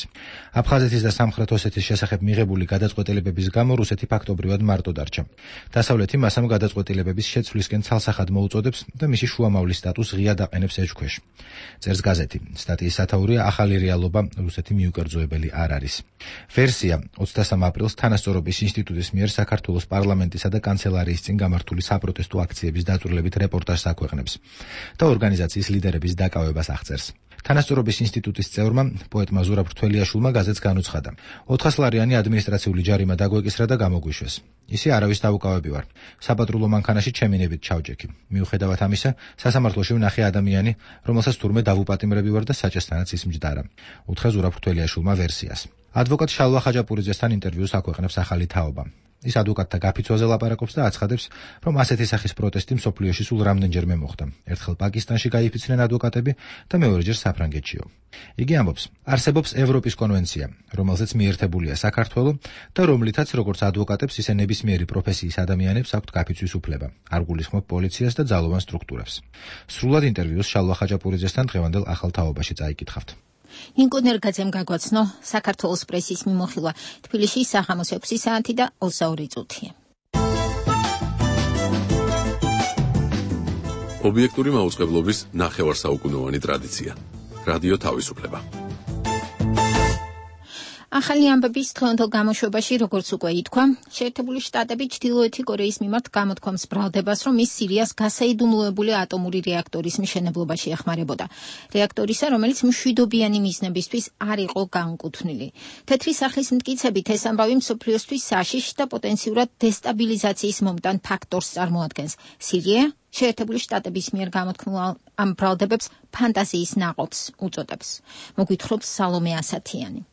F: აფხაზეთის და სამხრეთ ოსეთის შესახებ მიღებული გადაწყვეტილებების გამო რუსეთი ფაქტობრივად მარტო დარჩა. დასავლეთი მას ამ გადაწყვეტილებების შეცვლისკენ ცალსახად მოუწოდებს და მისი შუამავლის სტატუსს ღიად აყენებს ეჭქვეშ. წერს გაზეთი. სტატიის სათაურია ახალი რეალობა, რუსეთი მიუკერძოებელი არ არის. ვერსია 23 აპრილს თანასწორობის ინსტიტუტის მიერ საქართველოს პარლამენტისა და კანცელარიის წინ გამართული საპროტესტო აქციების დაწვრილებით რეპორტაჟს აქვეყნებს და ორგანიზაციის ლიდერების დაკავებას აღწერს. თანასწორობის ინსტიტუტის წევრმა, პოეტმა ზურაბ რთველიაშვილმა გაზეთს განუცხადა. 400 ლარიანი ადმინისტრაციული ჯარიმა დაგვეკისრა და გამოგვიშვეს. ისი არავის დაუკავები ვარ. საპატრულო მანქანაში ჩემინებით ჩავჯექი. მიუხედავად ამისა, სასამართლოში ვნახე ადამიანი, რომელსაც თურმე დავუპატიმრები ვარ და საჭესთანაც ის მჯდარა. უთხრა ზურაბ რთველიაშვილმა ვერსიას. ადვოკატ შალვა ხაჯაპურიძესთან ინტერვიუს აქვეყნებს ახალი თაობა. ის ადვოკატთა გაფიცვაზე ლაპარაკობს და აცხადებს, რომ ასეთი სახის პროტესტი მსოფლიოში სულ რამდენჯერმე მოხდა. ერთხელ პაკისტანში გაიფიცნენ ადვოკატები და მეორეჯერ საფრანგეთშიო. იგი ამბობს, არსებობს ევროპის კონვენცია, რომელზეც მიერთებულია საქართველო და რომლითაც როგორც ადვოკატებს, ისე ნებისმიერი პროფესიის ადამიანებს აქვთ გაფიცვის უფლება. არ გულისხმობ პოლიციას და ძალოვან სტრუქტურებს. სრულად ინტერვიუს შალვა ხაჯაპურიძესთან დღევანდელ ახალ თაობაში წაიკითხავთ.
A: ნიკო ნერგაძემ გაგვაცნო საქართველოს პრესის მიმოხილვა. თბილისში საღამოს 6 საათი და 22 წუთია.
B: ობიექტური მაუწყებლობის ნახევარსაუკუნოვანი ტრადიცია. რადიო თავისუფლება.
A: ახალი ამბების დღევანდელ გამოშვებაში, როგორც უკვე ითქვა, შეერთებული შტატები ჩრდილოეთი კორეის მიმართ გამოთქვამს ბრალდებას, რომ ის სირიას გასაიდუმლოებული ატომური რეაქტორის მშენებლობაში ეხმარებოდა. რეაქტორისა, რომელიც მშვიდობიანი მიზნებისთვის არ იყო განკუთვნილი. თეთრი სახლის მტკიცებით ეს ამბავი მსოფლიოსთვის საშიშ და პოტენციურად დესტაბილიზაციის მომტან ფაქტორს წარმოადგენს. სირია შეერთებული შტატების მიერ გამოთქმულ ამ ბრალდებებს ფანტაზიის ნაყოფს უწოდებს. მოგვითხრობს სალომე ასათიანი.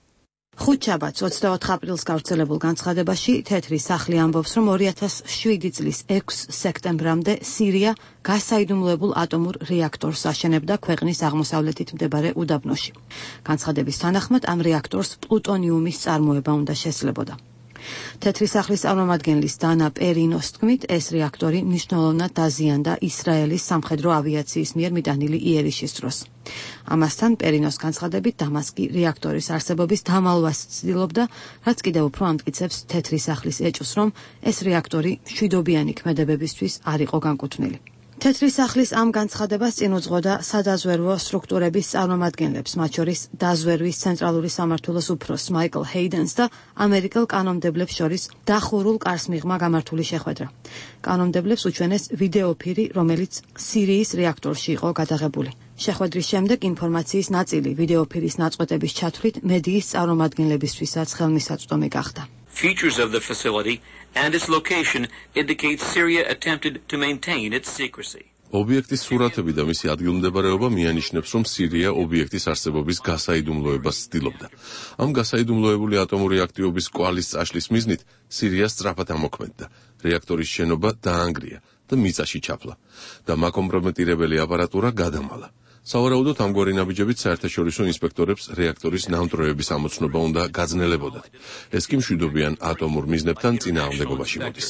Q: ხუთშაბათს 24 აპრილს გავრცელებულ განცხადებაში თეთრი სახლი ამბობს, რომ 2007 წლის 6 სექტემბრამდე სირია გასაიდუმლოებულ ატომურ რეაქტორს აშენებდა ქვეყნის აღმოსავლეთით მდებარე უდაბნოში. განცხადების თანახმად ამ რეაქტორს პლუტონიუმის წარმოება უნდა შესლებოდა. თეთრი სახლის წარმომადგენლის დანა პერინოს თქმით, ეს რეაქტორი მნიშვნელოვნად დაზიანდა ისრაელის სამხედრო ავიაციის მიერ მიტანილი იერიშის დროს. ამასთან პერინოს განცხადებით დამასკი რეაქტორის არსებობის დამალვას ცდილობდა, რაც კიდევ უფრო ამტკიცებს თეთრი სახლის ეჭვს, რომ ეს რეაქტორი მშვიდობიანი ქმედებებისთვის არ იყო განკუთვნილი. თეთრი სახლის ამ განცხადებას წინ უძღოდა სადაზვერვო სტრუქტურების წარმომადგენლებს, მათ შორის დაზვერვის ცენტრალური სამმართველოს უფროსს მაიკლ ჰეიდენს და ამერიკელ კანონმდებლებს შორის დახურულ კარს მიღმა გამართული შეხვედრა. კანონმდებლებს უჩვენეს ვიდეოფირი, რომელიც სირიის რეაქტორში იყო გადაღებული. შეხვედრის შემდეგ ინფორმაციის ნაწილი ვიდეოფირის ნაწყვეტების ჩათვლით მედიის წარმომადგენლებისთვისაც ხელმისაწვდომი გახდა.
G: Features of the facility and its location indicate Syria attempted to maintain its secrecy.
B: ობიექტის სურათები და მისი ადგილმდებარეობა მიანიშნებს, რომ სირია ობიექტის არსებობის გასაიდუმლოებას ცდილობდა. ამ გასაიდუმლოებული ატომური აქტივობის კვალის წაშლის მიზნით სირია სწრაფად ამოქმედდა. რეაქტორის შენობა დაანგრია და მიწაში ჩაფლა და მაკომპრომეტირებელი აპარატურა გადამალა. სავარაუდოდ ამგვარი ნაბიჯებით საერთაშორისო ინსპექტორებს რეაქტორის ნამტვრევების ამოცნობა უნდა გაძნელებოდათ. ეს კი მშვიდობიან ატომურ მიზნებთან წინააღმდეგობაში მოდის.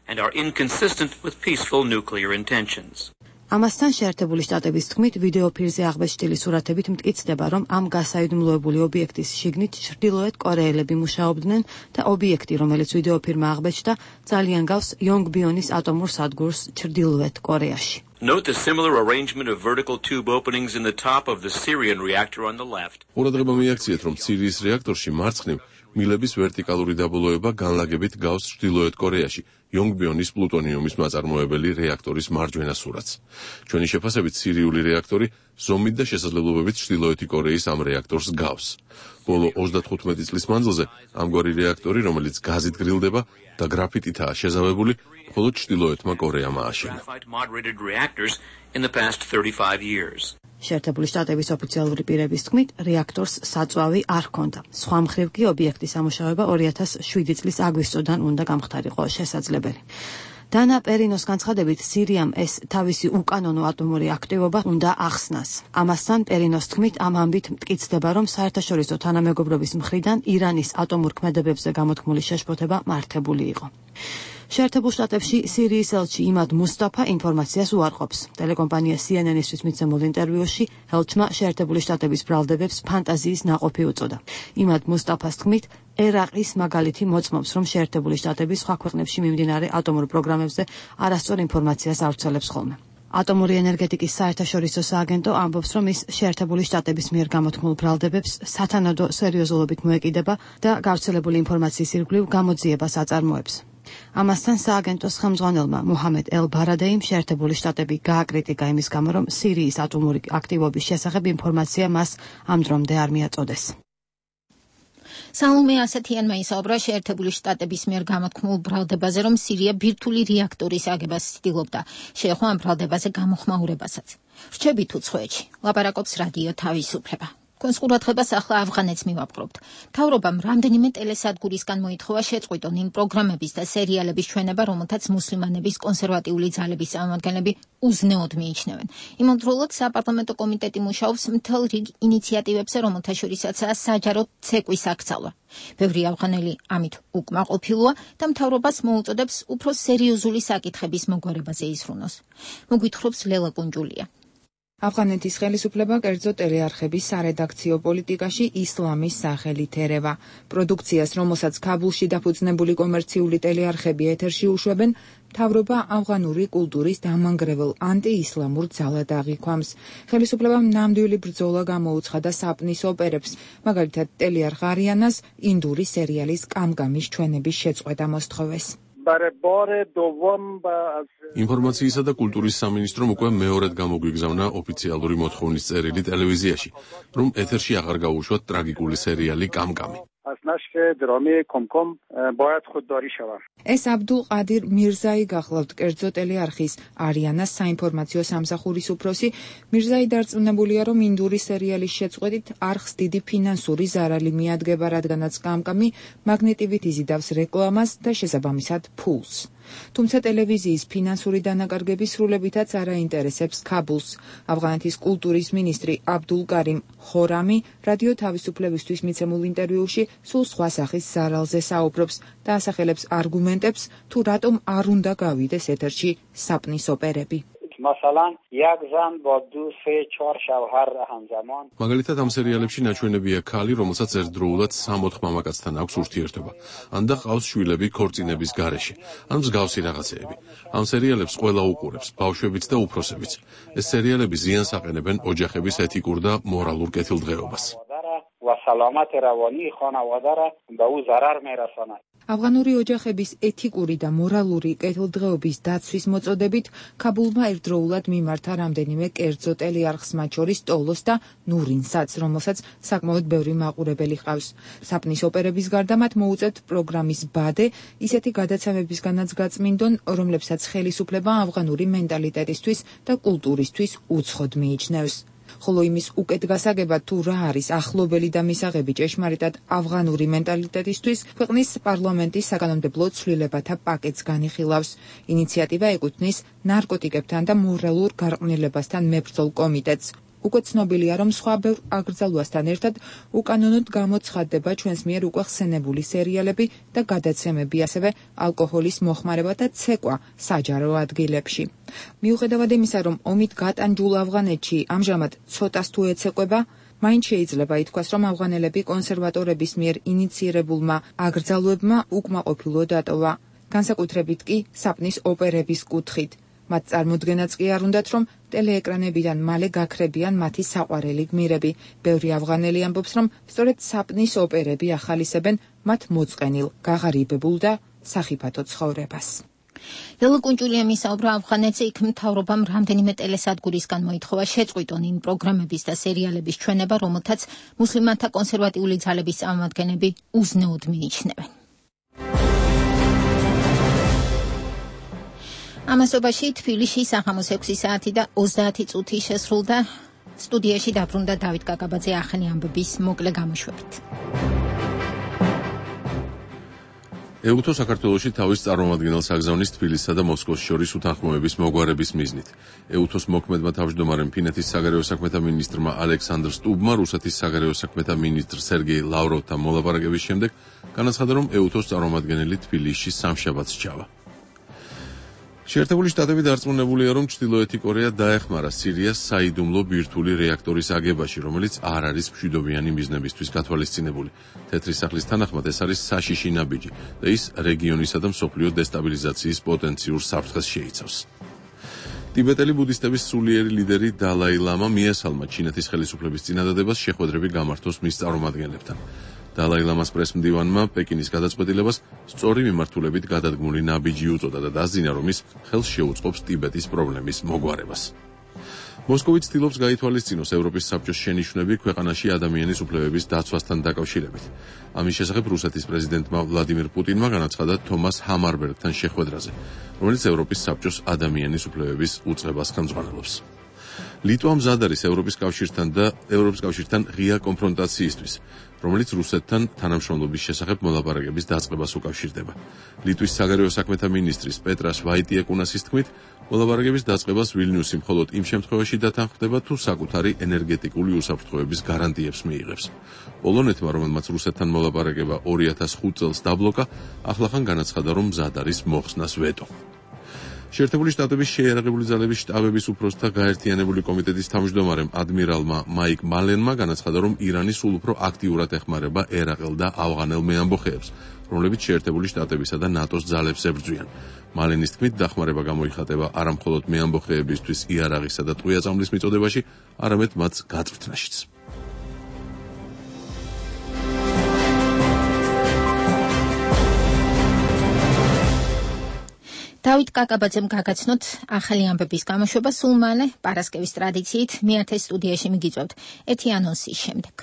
G: And are inconsistent with peaceful nuclear intentions.
Q: ამასთან შეერთებული შტატების თქმით, ვიდეოფირზე აღბეჭდილი სურათებით მტკიცდება, რომ ამ გასაიდუმლოებული ობიექტის შიგნით ჩრდილოეთ კორეელები მუშაობდნენ და ობიექტი, რომელიც ვიდეოფირმა აღბეჭდა, ძალიან გავს იონგბიონის ატომურ სადგურს ჩრდილოეთ კორეაში.
G: Note the similar arrangement of vertical tube openings in the top of the Syrian reactor on the left.
B: ყურადღება მიაქციეთ, რომ სირიის რეაქტორში მარცხნივ მილების ვერტიკალური დაბოლოება განლაგებით გავს ჩრდილოეთ კორეაში, იონგბიონის პლუტონიუმის მაწარმოებელი რეაქტორის მარჯვენა სურათს. ჩვენი შეფასებით სირიული რეაქტორი ზომით და შესაძლებლობებით ჩრდილოეთი კორეის ამ რეაქტორს გავს. ბოლო 35 წლის მანძილზე ამგვარი რეაქტორი, რომელიც გაზით გრილდება და გრაფიტითაა შეზავებული, მხოლოდ ჩრდილოეთმა კორეამ ააშენა.
Q: შეერთებული შტატების ოფიციალური პირების თქმით, რეაქტორს საწვავი არ ჰქონდა. სხვა მხრივ კი ობიექტის ამუშავება 2007 წლის აგვისტოდან უნდა გამხდარიყო შესაძლებელი. დანა პერინოს განცხადებით, სირიამ ეს თავისი უკანონო ატომური აქტივობა უნდა ახსნას. ამასთან პერინოს თქმით, ამ ამბით მტკიცდება, რომ საერთაშორისო თანამეგობრობის მხრიდან ირანის ატომურ ქმედებებზე გამოთქმული შეშფოთება მართებული იყო. შეერთებულ შტატებში სირიის ელჩი იმად მუსტაფა ინფორმაციას უარყოფს. ტელეკომპანია CNN-ისთვის მიცემულ ინტერვიუში ელჩმა შეერთებული შტატების ბრალდებებს ფანტაზიის ნაყოფი უწოდა. იმად მუსტაფას თქმით, ერაყის მაგალითი მოწმობს, რომ შეერთებული შტატები სხვა ქვეყნებში მიმდინარე ატომურ პროგრამებზე არასწორ ინფორმაციას ავრცელებს ხოლმე. ატომური ენერგეტიკის საერთაშორისო სააგენტო ამბობს, რომ ის შეერთებული შტატების მიერ გამოთქმულ ბრალდებებს სათანადო სერიოზულობით მოეკიდება და გავრცელებული ინფორმაციის ირგვლივ გამოძიებას აწარმოებს. ამასთან სააგენტოს ხელმძღვანელმა მუჰამედ ელ-ბარადეიმ შეერთებული შტატები გააკრიტიკა იმის გამო, რომ სირიის ატომური აქტივობის შესახებ ინფორმაცია მას ამ დრომდე არ მიაწოდეს.
A: სალომე ასათიანმა ისაუბრა შეერთებული შტატების მიერ გამოთქმულ ბრალდებაზე, რომ სირია ბირთვული რეაქტორის აგებას ცდილობდა. შეეხო ამ ბრალდებაზე გამოხმაურებასაც. რჩებით უცხოეთში, ლაპარაკობს რადიო თავისუფლება. კონსკურატებას ახლა ავღანეთს მივაპყრობთ. მთავრობამ რამდენიმე ტელესადგურისგან მოითხოვა შეწყვიტონ იმ პროგრამების და სერიალების ჩვენება, რომელთაც მუსლიმანების კონსერვატიული ძალების წარმომადგენლები უზნეოდ მიიჩნევენ. იმავდროულად საპარლამენტო კომიტეტი მუშაობს მთელ რიგ ინიციატივებზე, რომელთა შორისაცაა საჯარო ცეკვის აქცალვა. ბევრი ავღანელი ამით უკმაყოფილოა და მთავრობას მოუწოდებს უფრო სერიოზული საკითხების მოგვარებაზე ისრუნოს. მოგვითხრობს ლელა კუნჯულია.
R: ავღანეთის ხელისუფლება კერძო ტელეარხების სარედაქციო პოლიტიკაში ისლამის სახელით ერევა. პროდუქციას, რომელსაც ქაბულში დაფუძნებული კომერციული ტელეარხები ეთერში უშვებენ, მთავრობა ავღანური კულტურის დამანგრევალ ანტიისლამურ ძალად აღიქვამს. ხელისუფლებამ ნამდვილი ბრძოლა გამოუცხადა საპნის ოპერებს, მაგალითად ტელეარხ არიანას ინდური სერიალის კამკამის ჩვენების შეწყვეტა მოსთხოვეს.
B: ინფორმაციისა და კულტურის სამინისტრომ უკვე მეორედ გამოგვიგზავნა ოფიციალური მოთხოვნის წერილი ტელევიზიაში, რომ ეთერში აღარ გაუშვათ ტრაგიკული სერიალი კამკამი.
R: ეს აბდულ ყადირ მირზაი გახლავთ კერძო ტელეარხის არიანას საინფორმაციო სამსახურის უფროსი. მირზაი დარწმუნებულია, რომ ინდური სერიალის შეწყვეტით არხს დიდი ფინანსური ზარალი მიადგება, რადგანაც კამკამი მაგნეტივით იზიდავს რეკლამას და შესაბამისად ფულს. თუმცა ტელევიზიის ფინანსური დანაკარგები სრულებითაც არ აინტერესებს ქაბულს. ავღანეთის კულტურის მინისტრი აბდულ კარიმ ხორამი რადიო თავისუფლებისთვის მიცემულ ინტერვიუში სულ სხვა სახის ზარალზე საუბრობს და ასახელებს არგუმენტებს, თუ რატომ არ უნდა გავიდეს ეთერში საპნის ოპერები.
B: მაგალითად ამ სერიალებში ნაჩვენებია ქალი, რომელსაც ერთდროულად 60 მამაკაცთან აქვს ურთიერთობა, ან და ყავს შვილები ქორწინების გარეშე, ან მსგავსი რაღაცეები. ამ სერიალებს ყველა უყურებს, ბავშვებიც და უფროსებიც. ეს სერიალები ზიანს აყენებენ ოჯახების ეთიკურ და მორალურ კეთილდღეობას.
R: ავღანური ოჯახების ეთიკური და მორალური კეთილდღეობის დაცვის მოწოდებით ქაბულმა ერთდროულად მიმართა რამდენიმე კერძო ტელეარხს, მათ შორის ტოლოს და ნურინსაც, რომელსაც საკმაოდ ბევრი მაყურებელი ჰყავს. საპნის ოპერების გარდა მათ მოუწევთ პროგრამის ბადე, ისეთი გადაცემებისგანაც გაწმინდონ, რომლებსაც ხელისუფლება ავღანური მენტალიტეტისთვის და კულტურისთვის უცხოდ მიიჩნევს. ხოლო იმის უკეთ გასაგებად, თუ რა არის ახლობელი და მისაღები ჭეშმარიტად ავღანური მენტალიტეტისთვის, ქვეყნის პარლამენტის საკანონმდებლო ცვლილებათა პაკეტს განიხილავს. ინიციატივა ეკუთვნის ნარკოტიკებთან და მორალურ გარყვნილებასთან მებრძოლ კომიტეტს. უკვე ცნობილია, რომ სხვა ბევრ აკრძალვასთან ერთად უკანონოდ გამოცხადდება ჩვენს მიერ უკვე ხსენებული სერიალები და გადაცემები, ასევე ალკოჰოლის მოხმარება და ცეკვა საჯარო ადგილებში. მიუხედავად იმისა, რომ ომით გატანჯულ ავღანეთში ამჟამად ცოტას თუ ეცეკვება, მაინც შეიძლება ითქვას, რომ ავღანელები კონსერვატორების მიერ ინიცირებულმა აკრძალვებმა უკმაყოფილო დატოვა, განსაკუთრებით კი საპნის ოპერების კუთხით. მათ წარმოდგენაც კი არ უნდათ, რომ ტელეეკრანებიდან მალე გაქრებიან მათი საყვარელი გმირები. ბევრი ავღანელი ამბობს, რომ სწორედ საპნის ოპერები ახალისებენ მათ მოწყენილ, გაღარიბებულ და სახიფათო ცხოვრებას.
A: ელო კუნჭულიამ ისაუბრა ავღანეთზე, იქ მთავრობამ რამდენიმე ტელესადგურისგან მოითხოვა შეწყვიტონ იმ პროგრამების და სერიალების ჩვენება, რომელთაც მუსლიმანთა კონსერვატიული ძალების წარმომადგენლები უზნეოდ მიიჩნევენ. ამასობაში თბილისში საღამოს 6 საათი და 30 წუთი შესრულდა. სტუდიაში დაბრუნდა დავით კაკაბაძე ახალი ამბების მოკლე გამოშვებით.
B: ეუთო საქართველოში თავის წარმომადგენელს აგზავნის თბილისსა და მოსკოვს შორის უთანხმოების მოგვარების მიზნით. ეუთოს მოქმედმა თავმჯდომარემ ფინეთის საგარეო საქმეთა მინისტრმა ალექსანდრ სტუბმა რუსეთის საგარეო საქმეთა მინისტრ სერგეი ლავროვთან მოლაპარაკების შემდეგ განაცხადა, რომ ეუთოს წარმომადგენელი თბილისში სამშაბათს ჩავა. შეერთებული შტატები დარწმუნებულია, რომ ჩრდილოეთი კორეა დაეხმარა სირიას საიდუმლო ბირთვული რეაქტორის აგებაში, რომელიც არ არის მშვიდობიანი მიზნებისთვის გათვალისწინებული. თეთრი სახლის თანახმად ეს არის საშიში ნაბიჯი და ის რეგიონისა და მსოფლიო დესტაბილიზაციის პოტენციურ საფრთხეს შეიცავს. ტიბეტელი ბუდისტების სულიერი ლიდერი დალაი ლამა მიესალმა ჩინეთის ხელისუფლების წინადადებას შეხვედრები გამართოს მის წარმომადგენლებთან. დალაი ლამას პრესმდივანმა პეკინის გადაწყვეტილებას სწორი მიმართულებით გადადგმული ნაბიჯი უწოდა და დასძინა, რომ ის ხელს შეუწყობს ტიბეტის პრობლემის მოგვარებას. მოსკოვი ცდილობს გაითვალისწინოს ევროპის საბჭოს შენიშვნები ქვეყანაში ადამიანის უფლებების დაცვასთან დაკავშირებით. ამის შესახებ რუსეთის პრეზიდენტმა ვლადიმირ პუტინმა განაცხადა თომას ჰამარბერგთან შეხვედრაზე, რომელიც ევროპის საბჭოს ადამიანის უფლებების უწყებას ხელმძღვანელობს. ლიტვა მზად არის ევროპის კავშირთან ღია კონფრონტაციისთვის, რომელიც რუსეთთან თანამშრომლობის შესახებ მოლაპარაკების დაწყებას უკავშირდება. ლიტვის საგარეო საქმეთა მინისტრის პეტრას ვაიტიეკუნასის თქმით, მოლაპარაკების დაწყებას ვილნიუსი მხოლოდ იმ შემთხვევაში დათანხმდება, თუ საკუთარი ენერგეტიკული უსაფრთხოების გარანტიებს მიიღებს. პოლონეთმა, რომელმაც რუსეთთან მოლაპარაკება 2005 წელს დაბლოკა, ახლახან განაცხადა, რომ მზად არის მოხსნას ვეტო. შეერთებული შტატების შეიარაღებული ძალების შტაბების უფროსთა გაერთიანებული კომიტეტის თავმჯდომარემ ადმირალმა მაიკ მალენმა განაცხადა, რომ ირანი სულ უფრო აქტიურად ეხმარება ერაყელ და ავღანელ მეამბოხეებს, რომლებიც შეერთებული შტატებისა და ნატოს ძალებს ებრძვიან. მალენის თქმით, დახმარება გამოიხატება არა მხოლოდ მეამბოხეებისთვის იარაღისა და ტყვია-წამლის მიწოდებაში, არამედ მათ გაწვრთნაშიც.
A: დავით კაკაბაძემ გაგაცნოთ ახალი ამბების გამოშვება, სულ მალე პარასკევის ტრადიციით მეათე სტუდიაში მიგიწევთ ერთი ანონსის შემდეგ.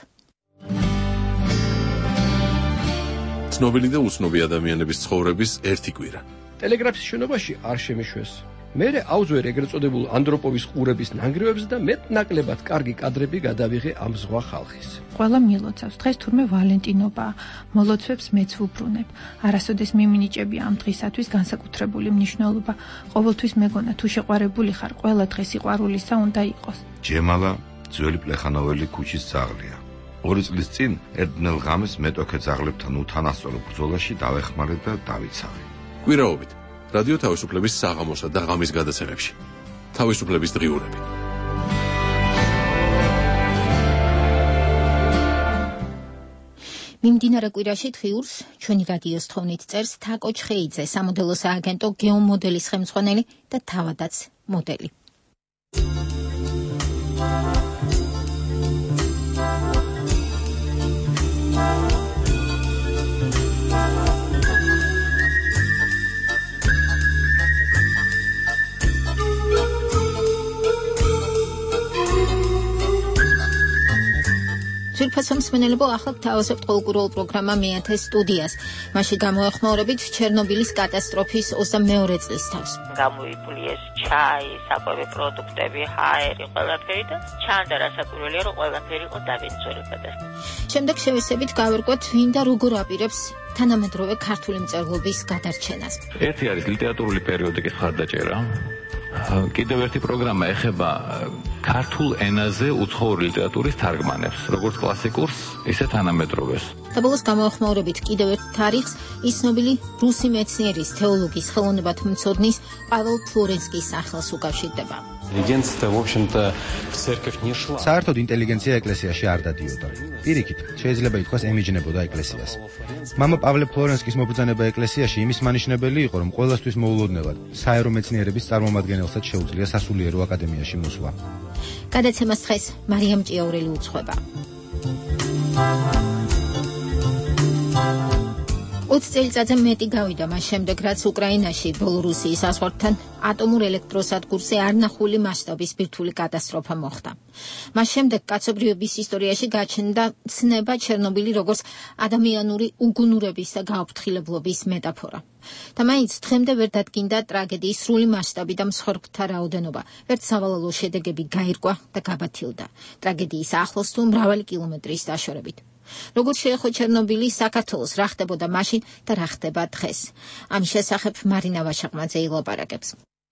B: ცნობილი და უცნობი ადამიანების ცხოვრების ერთი კვირა.
S: ტელეგრაფის შენობაში არ შემიშვეს. მერე აუძვერ ეგრეთ წოდებულ ანდროპოვის ყურების ნანგრევებს და მეტ-ნაკლებად კარგი კადრები გადავიღე ამ ზღვა ხალხის.
T: ყველა მილოცავს, დღეს თურმე ვალენტინობაა, მოლოცვებს მეც ვუბრუნებ. არასოდეს მიმინიჭები ამ დღისათვის განსაკუთრებული მნიშვნელობა. ყოველთვის მეგონა, თუ შეყვარებული ხარ, ყველა დღე სიყვარულისა უნდა იყოს.
U: ჯემალა ძველი პლეხანოველი ქუჩის ძაღლია. 2 წლის წინ ერთნელ ღამეს მეტოქე ძაღლებთან უთანასწორო ბრძოლაში დავეხმარე და დავიცავე.
B: კვირაობით რადიო თავისუფლების საღამოსა და ღამის გადაცემებში. თავისუფლების დღიურები.
A: მიმდინარე კვირაში დღიურს ჩვენი რადიოს თხოვნით წერს თაკო ჩხეიძე, სამოდელო სააგენტო გეომოდელის ხელმძღვანელი და თავადაც მოდელი. ძვირფასო მსმენელებო, ახლა გთავაზობთ ყოველკვირეულ პროგრამა მეათე სტუდიას. მასში გამოეხმაურებით ჩერნობილის კატასტროფის 22 წლის თავს.
V: გამოიფულიეს ჩაი, საკვები პროდუქტები, ჰაერი, ყველაფერი და ჩანდა რასაკვირველია, რომ ყველაფერი იყო დავინწორებადა.
A: შემდეგ შევესებით გავერკვეთ, ვინ და როგორ აპირებს თანამედროვე ქართული მწერლობის გადარჩენას.
W: ერთი არის ლიტერატურული პერიოდიკის მხარდაჭერა. კიდევ ერთი პროგრამა ეხება ქართულ ენაზე უცხოური ლიტერატურის თარგმანებს, როგორც კლასიკურს, ისე თანამედროვეს.
A: და ბოლოს გამოეხმაურებით კიდევ ერთ თარიღს, ის ცნობილი რუსი მეცნიერის, თეოლოგის, ხელოვნებათმცოდნის პაվել ფლორენსკის სახელს უკავშირდება.
F: საერთოდ ინტელიგენცია ეკლესიაში არ დადიოდა. პირიქით, შეიძლება ითქვას ემიჯნებოდა ეკლესიას. მამა პავლე ფლორენსკის მობრძანება ეკლესიაში იმის მანიშნებელი იყო, რომ ყველასთვის მოულოდნელად საერო მეცნიერების წარმომადგენელსაც შეუძლია სასულიერო აკადემიაში მოსვლა.
A: გადაცემას დღეს მარიამ ჭიაურელი უძღვება. 20 წელიწადზე მეტი გავიდა მას შემდეგ, რაც უკრაინაში ბელორუსიის საზღვართან ატომურ ელექტროსადგურზე არნახული მასშტაბის ბირთვული კატასტროფა მოხდა. მას შემდეგ კაცობრიობის ისტორიაში გაჩნდა ცნება ჩერნობილი როგორც ადამიანური უგუნურების და გააფრთხილებლობის მეტაფორა. და მაინც დღემდე ვერ დადგინდა ტრაგედიის სრული მასშტაბი და მსხვერპლთა რაოდენობა. ერთ სავალალო შედეგები გაირკვა და გაბათილდა. ტრაგედიის ახლოს თუ მრავალი კილომეტრის დაშორებით. როგორც შეეხო ჩერნობილი საქართველოს რა ხდებოდა მაშინ და რა ხდება დღეს. ამ შესახებ მარინა ვაშაყმაძე ილაპარაკებს.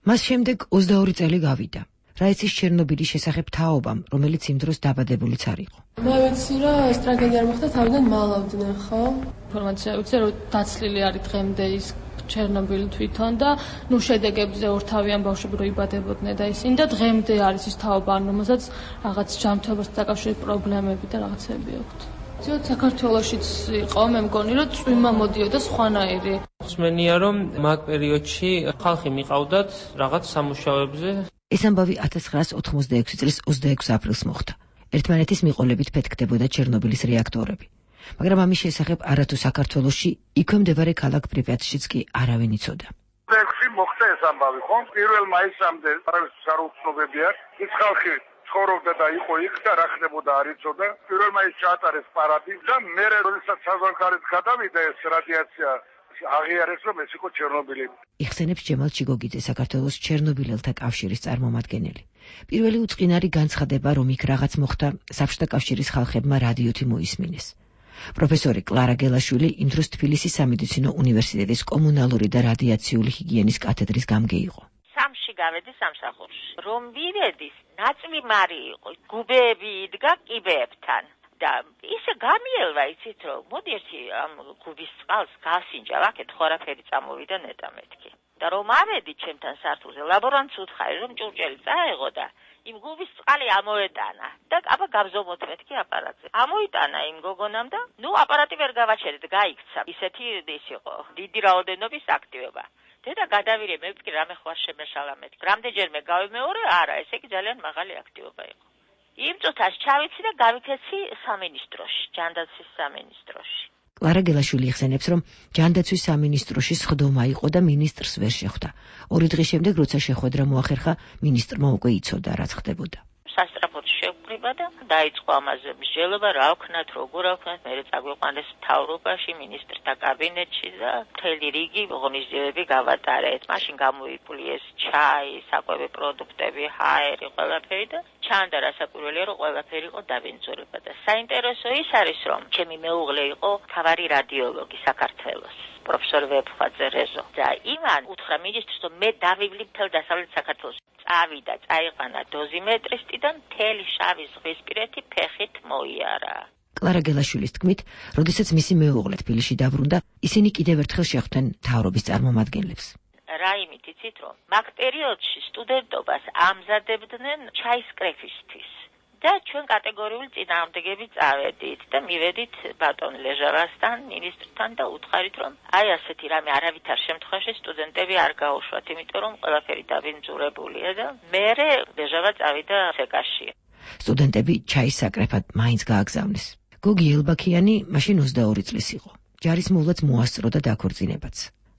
C: მას შემდეგ 22 წელი გავიდა. რა იცის ჩერნობილის შესახებ თაობამ, რომელიც იმ დროს დაბადებულიც არ იყო.
D: მე ვიცი, რომ ეს ტრაგედია არ მოხდა, თავიდან მალავდნენ, ხო? ინფორმაცია ვიცი, რომ დაცლილი არის დღემდე ის ჩერნობილი თვითონ და ნუ შედეგებზე ორთავიან ბავშვები რო იბადებოდნენ და ისინი და დღემდე არის ის თაობა, რომელსაც რაღაც ჯანმრთელობასთან დაკავშირებით პრობლემები და რაღაცები აქვთ. ძიოთ საქართველოშიც იყო, მე მგონი, რომ წვიმა მოდიოდა სხვანაირი.
I: ხსმენია, რომ მაგ პერიოდში ხალხი მიყავდათ რაღაც სამუშაოებზე.
C: ეს ამბავი 1986 წლის 26 აპრილს მოხდა. ერთმანეთის მიყოლებით ფეთქდებოდა ჩერნობილის რეაქტორები. მაგრამ ამის შესახებ არათუ საქართველოში, იქვე მდებარე ქალაქ პრიპიატშიც კი არავინ იცოდა.
X: 26 მოხდა ეს ამბავი, ხო? 1 მაისამდე არავის არ უცნობებია. ის ხალხი ცხოვრობდა და იყო იქ და რა ხდებოდა არ იცოდა. 1 მაისს ჩაატარეს პარადი და მე როდესაც საზღვარგარეთ გადავიდა ეს რადიაცია აღიარეს, რომ ეს იყო ჩერნობილი.
C: იხსენებს ჯემალ ჩიგოგიძე, საქართველოს ჩერნობილელთა კავშირის წარმომადგენელი. პირველი უწყინარი განცხადება, რომ იქ რაღაც მოხდა, საბჭოთა კავშირის ხალხებმა რადიოთი მოისმინეს. პროფესორი კლარა გელაშვილი იმ დროს თბილისის სამედიცინო უნივერსიტეტის კომუნალური და რადიაციული ჰიგიენის კათედრის გამგე იყო.
V: სამში გავედი სამსახურში. რომ ვივედი, ნაწილი მარი იყო, გუბეები იდგა კიბეებთან. და ისე გამიელვა, იცით რომ მოდი ერთი ამ გუბის წყალს გასინჯა, აქეთ ხორაფერი წამოვიდა ნეტა მეთქი. და რომ ავედი ჩემთან სართულზე, ლაბორანტს უთხარი რომ ჭურჭელი წაეღო და იმ გუბის წყალი ამოეტანა და აბა გაბზომოთ მეთქი აპარატზე. ამოიტანა იმ გოგონამ და ნუ აპარატი ვერ გავაჩერეთ, გაიქცა. ისეთი ის იყო, დიდი რაოდენობის აქტივობა. დედა გადავირე, მე ვთქვი რამე ხوار შემეშალა მეთქი. რამდენჯერმე გავიმეორე, არა, ესე იგი ძალიან მაღალი აქტივობა იყო. იმ წუთას ჩავიცი და გავიქეცი სამინისტროში, ჯანდაცვის სამინისტროში.
C: კლარა გელაშვილი იხსენებს, რომ ჯანდაცვის სამინისტროში სხდომა იყო და მინისტრს ვერ შეხვდა. 2 დღის შემდეგ, როცა შეხვედრა მოახერხა, მინისტრმა უკვე იცოდა, რაც ხდებოდა.
V: სასტრაფოდ შევკრიბა და დაიწყო ამაზე მსჯელობა, რა ვქნათ, როგორ ვქნათ, მე წაგვიყვანეს მთავრობაში, მინისტრთა კაბინეტში და მთელი რიგი ღონისძიებები გავატარეთ. მაშინ გამოიფულიეს ჩაი, საკვები პროდუქტები, ჰაერი, ყველაფერი და ჩანდა რასაკვირველია, რომ ყველაფერი იყო დაბინძურება და საინტერესო ის არის, რომ ჩემი მეუღლე იყო მთავარი რადიოლოგი საქართველოს. პროფესორ ვეფხვაძე რეზო და იმან უთხრა მინისტრს, რომ მე დავივლი მთელ დასავლეთ საქართველოს. წავიდა, წაიყვანა დოზიმეტრისტი და მთელი შავი ზღვისპირეთი ფეხით მოიარა.
C: კლარა გელაშვილის თქმით, როდესაც მისი მეუღლე თბილისში დაბრუნდა, ისინი კიდევ ერთხელ შეხვდნენ მთავრობის წარმომადგენლებს.
V: რა იმით იცით, რომ მაგ პერიოდში სტუდენტობას ამზადებდნენ ჩაის კრეფისთვის. და ჩვენ კატეგორიული წინააღმდეგები წავედით და მივედით ბატონ ლეჟავასთან, მინისტრთან და უთხარით, რომ აი ასეთი რამე არავითარ შემთხვევაში სტუდენტები არ გაუშვათ, იმიტომ რომ ყველაფერი დაბინძურებულია და მერე ლეჟავა წავიდა სეკაში.
C: სტუდენტები ჩაის საკრეფად მაინც გააგზავნეს. გოგი ელბაქიანი მაშინ 22 წლის იყო. ჯარის მოვლაც მოასწრო და დაქორწინებაც.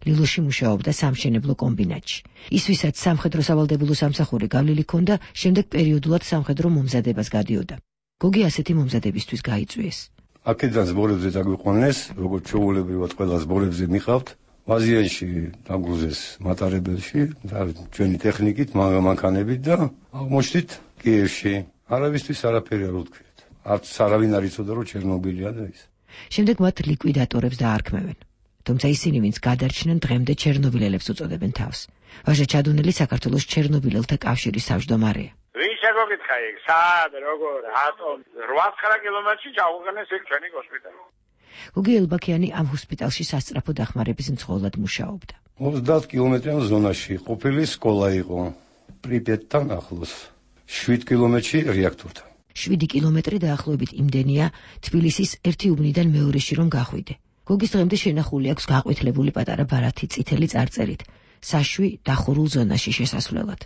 C: ლილოში მუშაობდა სამშენებლო კომბინატში. ის ვისაც სამხედრო სავალდებულო სამსახური გავლილი ჰქონდა, შემდეგ პერიოდულად სამხედრო მომზადებას გადიოდა. გოგი ასეთი მომზადებისთვის გაიწვიეს.
P: აქედან ზბორებზე დაგვიყვანეს, როგორც ჩვეულებრივად ყველა ზბორებზე მიყავთ, ვაზიანში დაგრუზეს მატარებელში და ჩვენი ტექნიკით, მანქანებით და აღმოჩნდით კიევში. არავისთვის არაფერი არ უთქვიათ. არც არავინ არ იცოდა, რომ ჩერნობილია და ის.
C: შემდეგ მათ ლიკვიდატორებს დაარქმევენ. თუმცა ისინი, ვინც გადარჩნენ, დღემდე ჩერნობილელებს უწოდებენ თავს. ვაჟა ჩადუნელი საქართველოს ჩერნობილელთა კავშირის თავმჯდომარეა.
X: ვინ შეგოგითხა იქ, სად, როგორ, რატომ? 8-9 კილომეტრში ჩაუყენეს იქ ჩვენი ჰოსპიტალი.
C: გოგი ელბაქიანი ამ ჰოსპიტალში სასწრაფო დახმარების მცხოვრად მუშაობდა.
P: 30 კილომეტრიან ზონაში ყოფილი სკოლა იყო. პრიპიატთან ახლოს. 7 კილომეტრში რეაქტორთან.
C: 7 კილომეტრი დაახლოებით იმდენია თბილისის ერთი უბნიდან მეორეში რომ გახვიდე. გოგის დღემდე შენახული აქვს გაყვითლებული პატარა ბარათი წითელი წარწერით, საშვი დახურულ ზონაში შესასვლელად.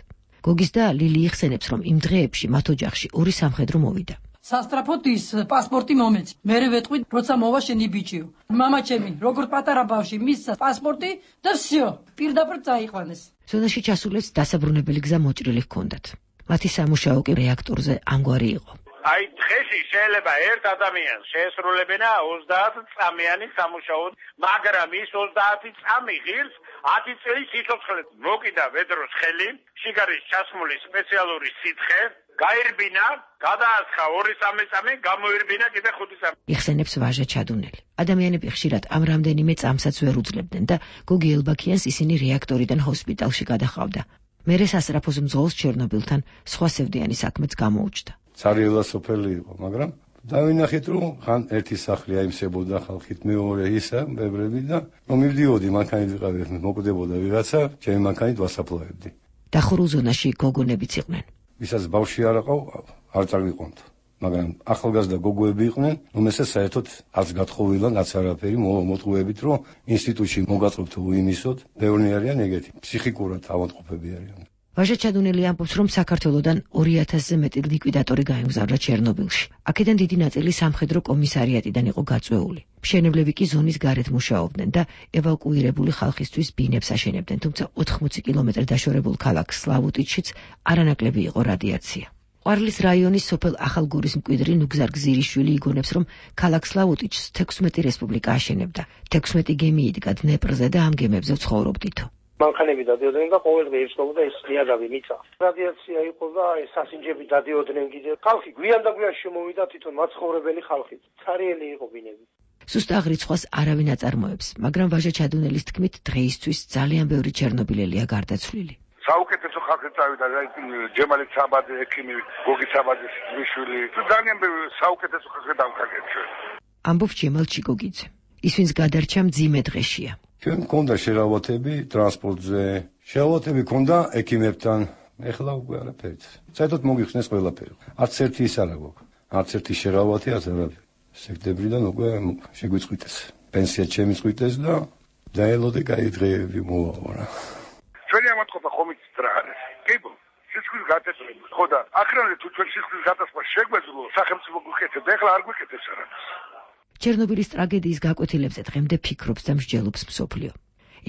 C: გოგის და ლილი იხსენებს, რომ იმ დღეებში მათ ოჯახში 2 სამხედრო მოვიდა.
E: სასტრაფოდ ის პასპორტი მომეცი. მერე ვეტყვი, როცა მოვა შენი ბიჭიო. მამაჩემი, როგორც პატარა ბავშვი, მისცა პასპორტი და всё, პირდაპირ წაიყვანეს.
C: ზონაში ჩასულებს დასაბრუნებელი გზა მოჭრილი ჰქონდათ. მათი სამუშაო კი რეაქტორზე ამგვარი იყო.
X: აი დღეში შეიძლება ერთ ადამიანს შეესრულებინა 30 წამიანი სამუშაო, მაგრამ ის 30 წამი ღირს 10 წელი სიცოცხლე მოკიდა ვედროს ხელი, შიგარის ჩასმული სპეციალური სითხე, გაირბინა, გადაასხა 2-3 წამი, გამოირბინა კიდე 5 წამი.
C: იხსენებს ვაჟა ჩადუნელი. ადამიანები ხშირად ამ რამდენიმე წამსაც ვერ უძლებდნენ და გოგი ელბაქიანს ისინი რეაქტორიდან ჰოსპიტალში გადაჰყავდა. მერე სასწრაფოს მძღოლს ჩერნობილთან სხვა სევდიანი საქმეც გამოუჩნდა.
P: ცარიელა სოფელი იყო, მაგრამ დავინახეთ, რომ ხან ერთი სახლი აიმსებოდა ხალხით, მეორე ისა, ბევრები და რომ მივდიოდი მანქანით ვიყავი, მოკვდებოდა ვიღაცა, ჩემი მანქანით ვასაფლავებდი.
C: დახურულ ზონაში გოგონებიც იყვნენ.
P: ვისაც ბავშვი არ აყავ, არ წაგვიყონთ. მაგრამ ახალგაზრდა გოგოები იყვნენ, რომელსაც საერთოდ არც გათხოვილან, არც არაფერი მოტყუებით, რომ ინსტიტუტში მოგაწყობთ უიმისოთ, ბევრი არიან ეგეთი, ფსიქიკურად ავადმყოფები არიან.
C: ვაჟა ჩადუნელი ამბობს, რომ საქართველოდან 2000-ზე მეტი ლიკვიდატორი გაემგზავრა ჩერნობილში. აქედან დიდი ნაწილი სამხედრო კომისარიატიდან იყო გაწვეული. მშენებლები კი ზონის გარეთ მუშაობდნენ და ევაკუირებული ხალხისთვის ბინებს აშენებდნენ, თუმცა 80 კილომეტრი დაშორებულ ქალაქ სლავუტიჩშიც არანაკლები იყო რადიაცია. ყვარლის რაიონის სოფელ ახალგორის მკვიდრი ნუგზარ გზირიშვილი იგონებს, რომ ქალაქ სლავუტიჩს 16 რესპუბლიკა აშენებდა. 16 გემი იდგა დნეპრზე და ამ გემებზე ცხოვრობდითო.
H: მანქანები დადიოდნენ და ყოველდღე იხსნობდა ეს ნიადაგი მიწა. რადიაცია იყო და ეს სასინჯები დადიოდნენ კიდე. ხალხი გვიან და გვიან შემოვიდა თვითონ მაცხოვრებელი ხალხი. ცარიელი იყო ბინები.
C: სუსტ აღრიცხვას არავინ აწარმოებს, მაგრამ ვაჟა ჩადუნელის თქმით, დღეისთვის ძალიან ბევრი ჩერნობილელია გარდაცვლილი.
X: საუკეთესო ხალხი წავიდა, ჯემალი ცაბაძე, ექიმი, გოგი ცაბაძის ძმისშვილი. ძალიან ბევრი საუკეთესო ხალხი დავკარგეთ.
C: ამბობს ჯემალ ჩიკოგიძე. ის ვინც გადარჩა მძიმე დღეშია.
P: ჩვენ მქონდა შერავათები ტრანსპორტზე, შერავათები მქონდა ექიმებთან, ეხლა უკვე არაფერით. საერთოდ მოგიხსნეს ყველაფერი. არც ერთი ის არ აქვს. არც ერთი შერავათი არც არაფერი. სექტემბრიდან უკვე შეგვიწყვიტეს. პენსია შემიწყვიტეს და დაელოდე კაი დღეები მოვაყარა.
X: ჩვენი ამათყოფა ხომ იცით რა არის? კიბო, სიცხვის გაწესრება. ხო და ახრანზე თუ ჩვენ სიცხვის გაწესრება შეგვეძლო, სახელმწიფო გვიქეთებს, ეხლა არ გვიქეთებს რა.
C: ჩერნობილის ტრაგედიის გაკვეთილებზე დღემდე ფიქრობს და მსჯელობს მსოფლიო.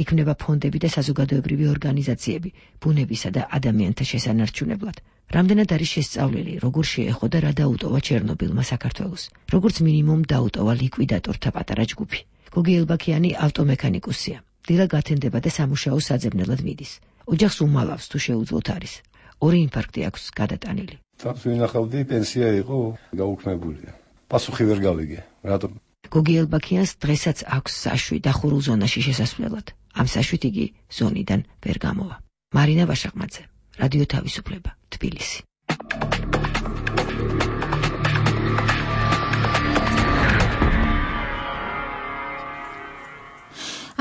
C: იქმნება ფონდები და საზოგადოებრივი ორგანიზაციები ბუნებისა და ადამიანთა შესანარჩუნებლად. რამდენად არის შესწავლილი, როგორ შეეხო და რა დაუტოვა ჩერნობილმა საქართველოს. როგორც მინიმუმ დაუტოვა ლიკვიდატორთა პატარა ჯგუფი. გოგი ელბაქიანი ავტომექანიკუსია. დილა გათენდება და სამუშაო საძებნელად მიდის. ოჯახს უმალავს თუ შეუძლოთ არის. 2 ინფარქტი აქვს გადატანილი.
P: თავს ვინახავდი, პენსია იყო გაუქმებულია. პასუხი ვერ გავიგე. რატომ?
C: გოგი ელბაქიანს დღესაც აქვს საშვი დახურულ ზონაში შესასვლელად. ამ საშვით იგი ზონიდან ვერ გამოვა. მარინა ვაშაყმაძე, რადიო თავისუფლება, თბილისი.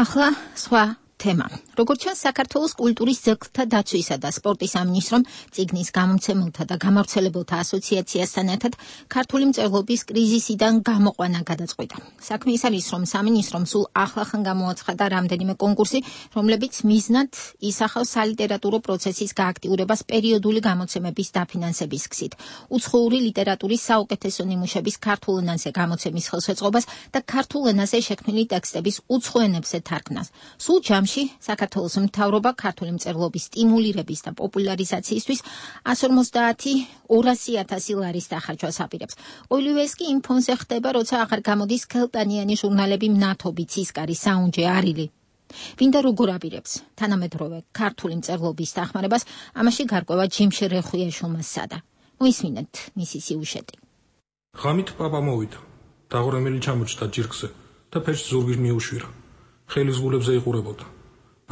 A: ახლა სხვა თემა. როგორც ჩვენ საქართველოს კულტურის ძეგლთა დაცვისა და სპორტის სამინისტრომ წიგნის გამომცემელთა და გამავრცელებელთა ასოციაციასთან ერთად ქართული მწერლობის კრიზისიდან გამოყვანა გადაწყვიტა. საქმე ის არის, რომ სამინისტრომ სულ ახლახან გამოაცხადა რამდენიმე კონკურსი, რომლებიც მიზნად ისახავს სალიტერატურო პროცესის გააქტიურებას პერიოდული გამოცემების დაფინანსების გზით, უცხოური ლიტერატურის საუკეთესო ნიმუშების ქართულ ენაზე გამოცემის ხელშეწყობას და ქართულ ენაზე შექმნილი ტექსტების უცხო ენებზე თარგმნას. სულ ჯამში საქართველოს მთავრობა ქართული მწერლობის სტიმულირების და პოპულარიზაციისთვის 150,000 ლარის დახარჯვას აპირებს. ყოველივე ეს კი იმ ფონზე ხდება, როცა აღარ გამოდის ქელტანიანი ჟურნალები მნათობი, ცისკარი, საუნჯე, არილი. ვინდა როგორ აპირებს თანამედროვე ქართული მწერლობის დახმარებას, ამაში გარკვევა ჯიმში რეხუიაშვილმა სადა. მოისმინეთ მისი სიუჟეტი.
J: ღამით პაპა მოვიდა, დაღურემელი ჩამოჭდა ჯირკზე და ფერს ზურგის მიუშვირა. ხელის გულებზე იყურებოდა.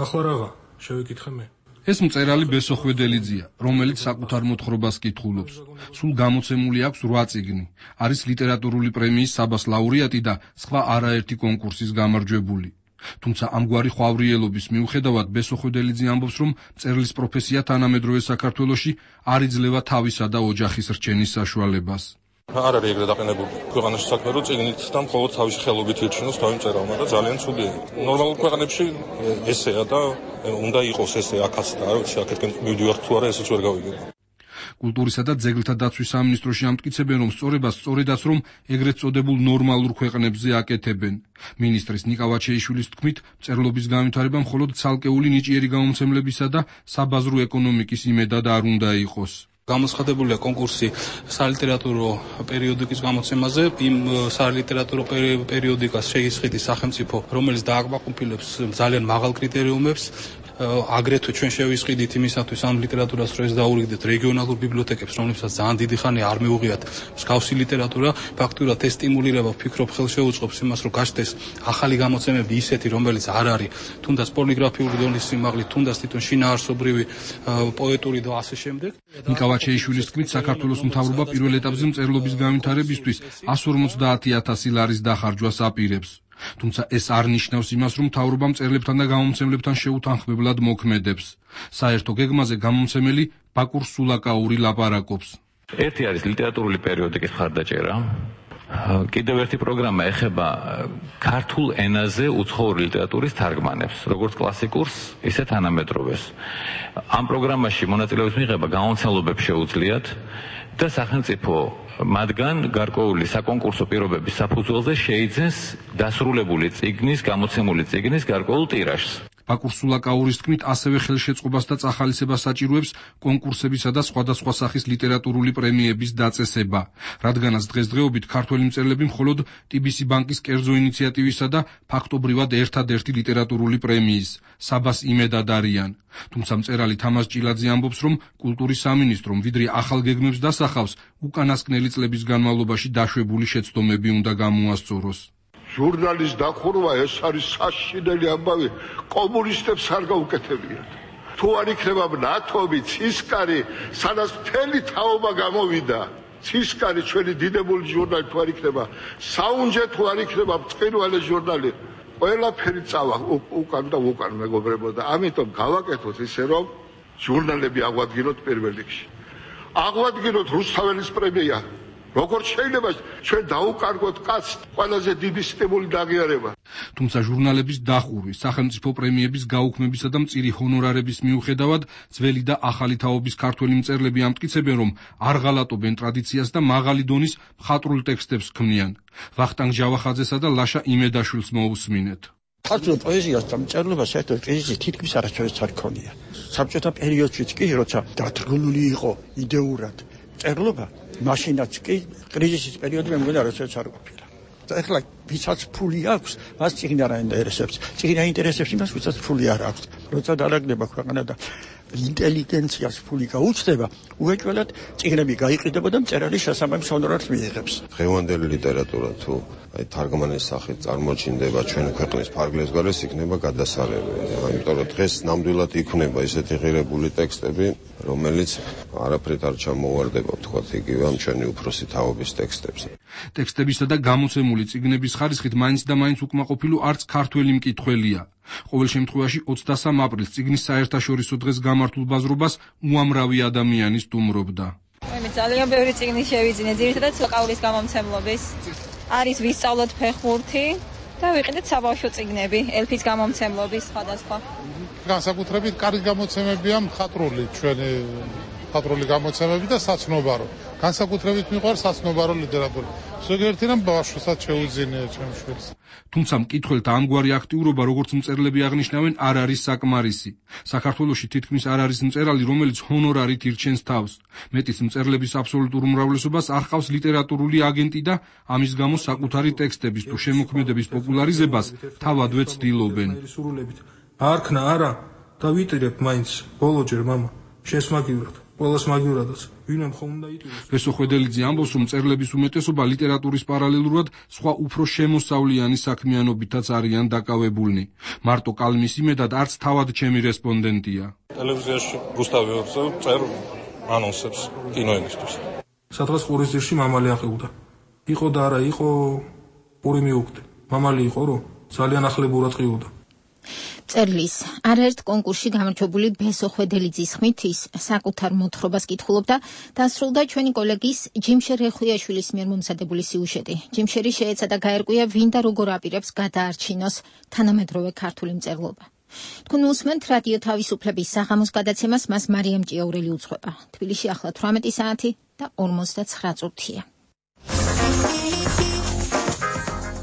J: ახლა რაღა, შევეკითხე მე.
K: ეს მწერალი ბესო ხვედელიძეა, რომელიც საკუთარ მოთხრობას კითხულობს. სულ გამოცემული აქვს 8 წიგნი. არის ლიტერატურული პრემიის საბას ლაურეატი და სხვა არაერთი კონკურსის გამარჯვებული. თუმცა ამგვარი ხვავრიელობის მიუხედავად ბესო ხვედელიძე ამბობს, რომ მწერლის პროფესია თანამედროვე საქართველოში არ იძლევა თავისა და ოჯახის რჩენის საშუალებას.
J: არ არის ეგრე დაყენებული ქვეყანაში საქმე, რომ წიგნით და მხოლოდ თავისი ხელობით ირჩინოს თავი მწერალმა და ძალიან ცუდია. ნორმალურ ქვეყანებში ესეა და უნდა იყოს ესე აქაც და არ ვიცი, აქეთკენ მივდივართ თუ არა, ესეც ვერ გავიგებ.
K: კულტურისა და ძეგლთა დაცვის სამინისტროში ამტკიცებენ, რომ სწორებას სწორედაც რომ ეგრეთ წოდებულ ნორმალურ ქვეყნებზე აკეთებენ. მინისტრის ნიკა ვაჩეიშვილის თქმით, მწერლობის განვითარება მხოლოდ ცალკეული ნიჭიერი გამომცემლებისა და საბაზრო ეკონომიკის იმედად არ უნდა იყოს.
L: გამოცხადებულია კონკურსი სალიტერატურო პერიოდიკის გამოცემაზე. იმ სალიტერატურო პერიოდიკას შეისყიდის სახელმწიფო, რომელიც დააკმაყოფილებს ძალიან მაღალ კრიტერიუმებს. აგრეთვე ჩვენ შევისყიდით იმისათვის ამ ლიტერატურას, რომ ეს დაურიგდეთ რეგიონალურ ბიბლიოთეკებს, რომლებსაც ძალიან დიდი ხანი არ მეუღიათ მსგავსი ლიტერატურა. ფაქტურად ეს სტიმულირება, ვფიქრობ, ხელშეუწყობს იმას, რომ გაჩნდეს ახალი გამოცემები ისეთი, რომელიც არ არის თუნდაც პორნოგრაფიული დონის სიმაღლით, თუნდაც თვითონ შინაარსობრივი პოეტური და ასე შემდეგ.
K: ნიკა ვაჩეიშვილის თქმით, საქართველოს მთავრობა პირველ ეტაპზე მწერლობის განვითარებისთვის 150,000 ლარის დახარჯვას აპირებს. თუმცა ეს არ ნიშნავს იმას, რომ მთავრობა მწერლებთან და გამომცემლებთან შეუთანხმებლად მოქმედებს. საერთო გეგმაზე გამომცემელი ბაკურ სულაკაური ლაპარაკობს.
W: ერთი არის ლიტერატურული პერიოდიკის მხარდაჭერა. კიდევ ერთი პროგრამა ეხება ქართულ ენაზე უცხოური ლიტერატურის თარგმანებს, როგორც კლასიკურს, ისე თანამედროვეს. ამ პროგრამაში მონაწილეობის მიღება გამომცემლობებს შეუძლიათ და სახელმწიფო მათგან გარკვეული საკონკურსო პირობების საფუძველზე შეიძენს დასრულებული წიგნის, გამოცემული წიგნის გარკვეულ ტირაჟს.
K: ბაკურ სულაკაურის თქმით, ასევე ხელშეწყობას და წახალისებას საჭიროებს კონკურსებისა და სხვადასხვა სახის ლიტერატურული პრემიების დაწესება, რადგანაც დღესდღეობით ქართველი მწერლები მხოლოდ TBC ბანკის კერძო ინიციატივისა და ფაქტობრივად ერთადერთი ლიტერატურული პრემიის საბას იმედად არიან. თუმცა მწერალი თამაზ ჭილაძე ამბობს, რომ კულტურის სამინისტრომ ვიდრე ახალ გეგმებს დასახავს, უკანასკნელი წლების განმავლობაში დაშვებული შეცდომები უნდა გამოასწოროს.
M: ჟურნალის დახურვა ეს არის საშინელი ამბავი, კომუნისტებს არ გაუკეთებიათ. თუ არ იქნება ნათობი, ცისკარი, სადაც მთელი თაობა გამოვიდა, ცისკარი ჩვენი დიდებული ჟურნალი თუ არ იქნება, საუნჯე თუ არ იქნება მწყინვალე ჟურნალი, ყველაფერი წავა უკან და უკან მეგობრებო და ამიტომ გავაკეთოთ ისე რომ ჟურნალები აღვადგინოთ პირველ რიგში. აღვადგინოთ რუსთაველის პრემია. როგორც შეიძლება ჩვენ დაუკარგოთ კაცს ყველაზე დიდი სტიმული და აღიარება.
K: თუმცა ჟურნალების დახურვის, სახელმწიფო პრემიების გაუქმებისა და მწირი ჰონორარების მიუხედავად, ძველი და ახალი თაობის ქართველი მწერლები ამტკიცებენ, რომ არ ღალატობენ ტრადიციას და მაღალი დონის მხატვრულ ტექსტებს ქმნიან. ვახტანგ ჯავახაძესა და ლაშა იმედაშვილს მოусმინეთ.
N: ქართულ პოეზიას და მწერლობას საერთოდ კრიზისი თითქმის არასდროს არ ქონია. საბჭოთა პერიოდშიც კი, როცა დათრგუნული იყო იდეურად მწერლობა, მაშინაც კი კრიზისის პერიოდი მე მგონი არასდროს არ ყოფილა. ეხლა ვისაც ფული აქვს, მას წიგნი არ აინტერესებს. წიგნი აინტერესებს იმას, ვისაც ფული არ აქვს. როცა დაალაგდება ქვეყანა და ინტელიგენციას ფული გაუჩნდება, უეჭველად წიგნები გაიყიდება და მწერალი შესაბამის ჰონორარს მიიღებს.
O: დღევანდელი ლიტერატურა თუ თარგმანის სახით წარმოჩინდება ჩვენი ქვეყნის ფარგლებს გარეს, იქნება გადასარევი. იმიტომ რომ დღეს ნამდვილად იქნება ისეთი ღირებული ტექსტები, რომელიც არაფრით არ ჩამოვარდება, თქვათ იგივე ამ ჩვენი უფროსი თაობის ტექსტებს.
K: ტექსტებისა და გამოცემული წიგნების ხარისხით მაინც და მაინც უკმაყოფილო არც ქართველი მკითხველია. ყოველ შემთხვევაში 23 აპრილს წიგნის საერთაშორისო დღეს გამართულ ბაზრობას უამრავი ადამიანი სტუმრობდა.
Y: მე ძალიან ბევრი წიგნი შევიძინე, ძირითადად სულაკაურის გამომცემლობის. არის ვისწავლოთ ფეხბურთი და ვიყიდეთ საბავშვო წიგნები, ელფის გამომცემლობის სხვადასხვა.
Z: განსაკუთრებით კარგი გამოცემებია მხატვრული, ჩვენი მხატვრული გამოცემები და საცნობარო. განსაკუთრებით მიყვარს საცნობარო ლიტერატურა. ზოგიერთი რამ ბავშვსაც შეუძინია ჩემს შვილს.
K: თუმცა მკითხველთა ამგვარი აქტიურობა, როგორც მწერლები აღნიშნავენ, არ არის საკმარისი. საქართველოში თითქმის არ არის მწერალი, რომელიც ჰონორარით ირჩენს თავს. მეტის მწერლების აბსოლუტურ უმრავლესობას არ ჰყავს ლიტერატურული აგენტი და ამის გამო საკუთარი ტექსტების თუ შემოქმედების პოპულარიზებას თავადვე ცდილობენ.
J: არქნა არა და ვიტირებ მაინც ბოლოჯერ მამა შენს მაგივრად ყველას მაგივრადაც ვინმე ხომ უნდა იტიროს.
K: რესო ხვედელიძე ამბობს, რომ მწერლების უმეტესობა ლიტერატურის პარალელურად სხვა უფრო შემოსავლიანი საქმიანობითაც არიან დაკავებულნი. მარტო კალმის იმედად არც თავად ჩემი რესპონდენტია.
J: ტელევიზიაში რუსთავი ორზე წერ ანონსებს კინოენისთვის. სადღაც ყურისძირში მამალი აყევდა. იყო და არა იყო პური მიუკვდე. მამალი იყო რომ ძალიან ახლებურად ყიოდა.
A: წერლის არაერთ კონკურსში გამარჯვებული ბესო ხვედელიძის ხმით ის საკუთარ მოთხრობას კითხულობდა და დასრულდა ჩვენი კოლეგის ჯიმშერ რეხუიაშვილის მიერ მომზადებული სიუჟეტი. ჯიმშერი შეეცადა გაერკვია ვინ და როგორ აპირებს გადაარჩინოს თანამედროვე ქართული მწერლობა. თქვენ უსმენთ რადიო თავისუფლების საღამოს გადაცემას, მას მარიამ ჭიაურელი უძღვება. თბილისში ახლა 18 საათი და 59 წუთია.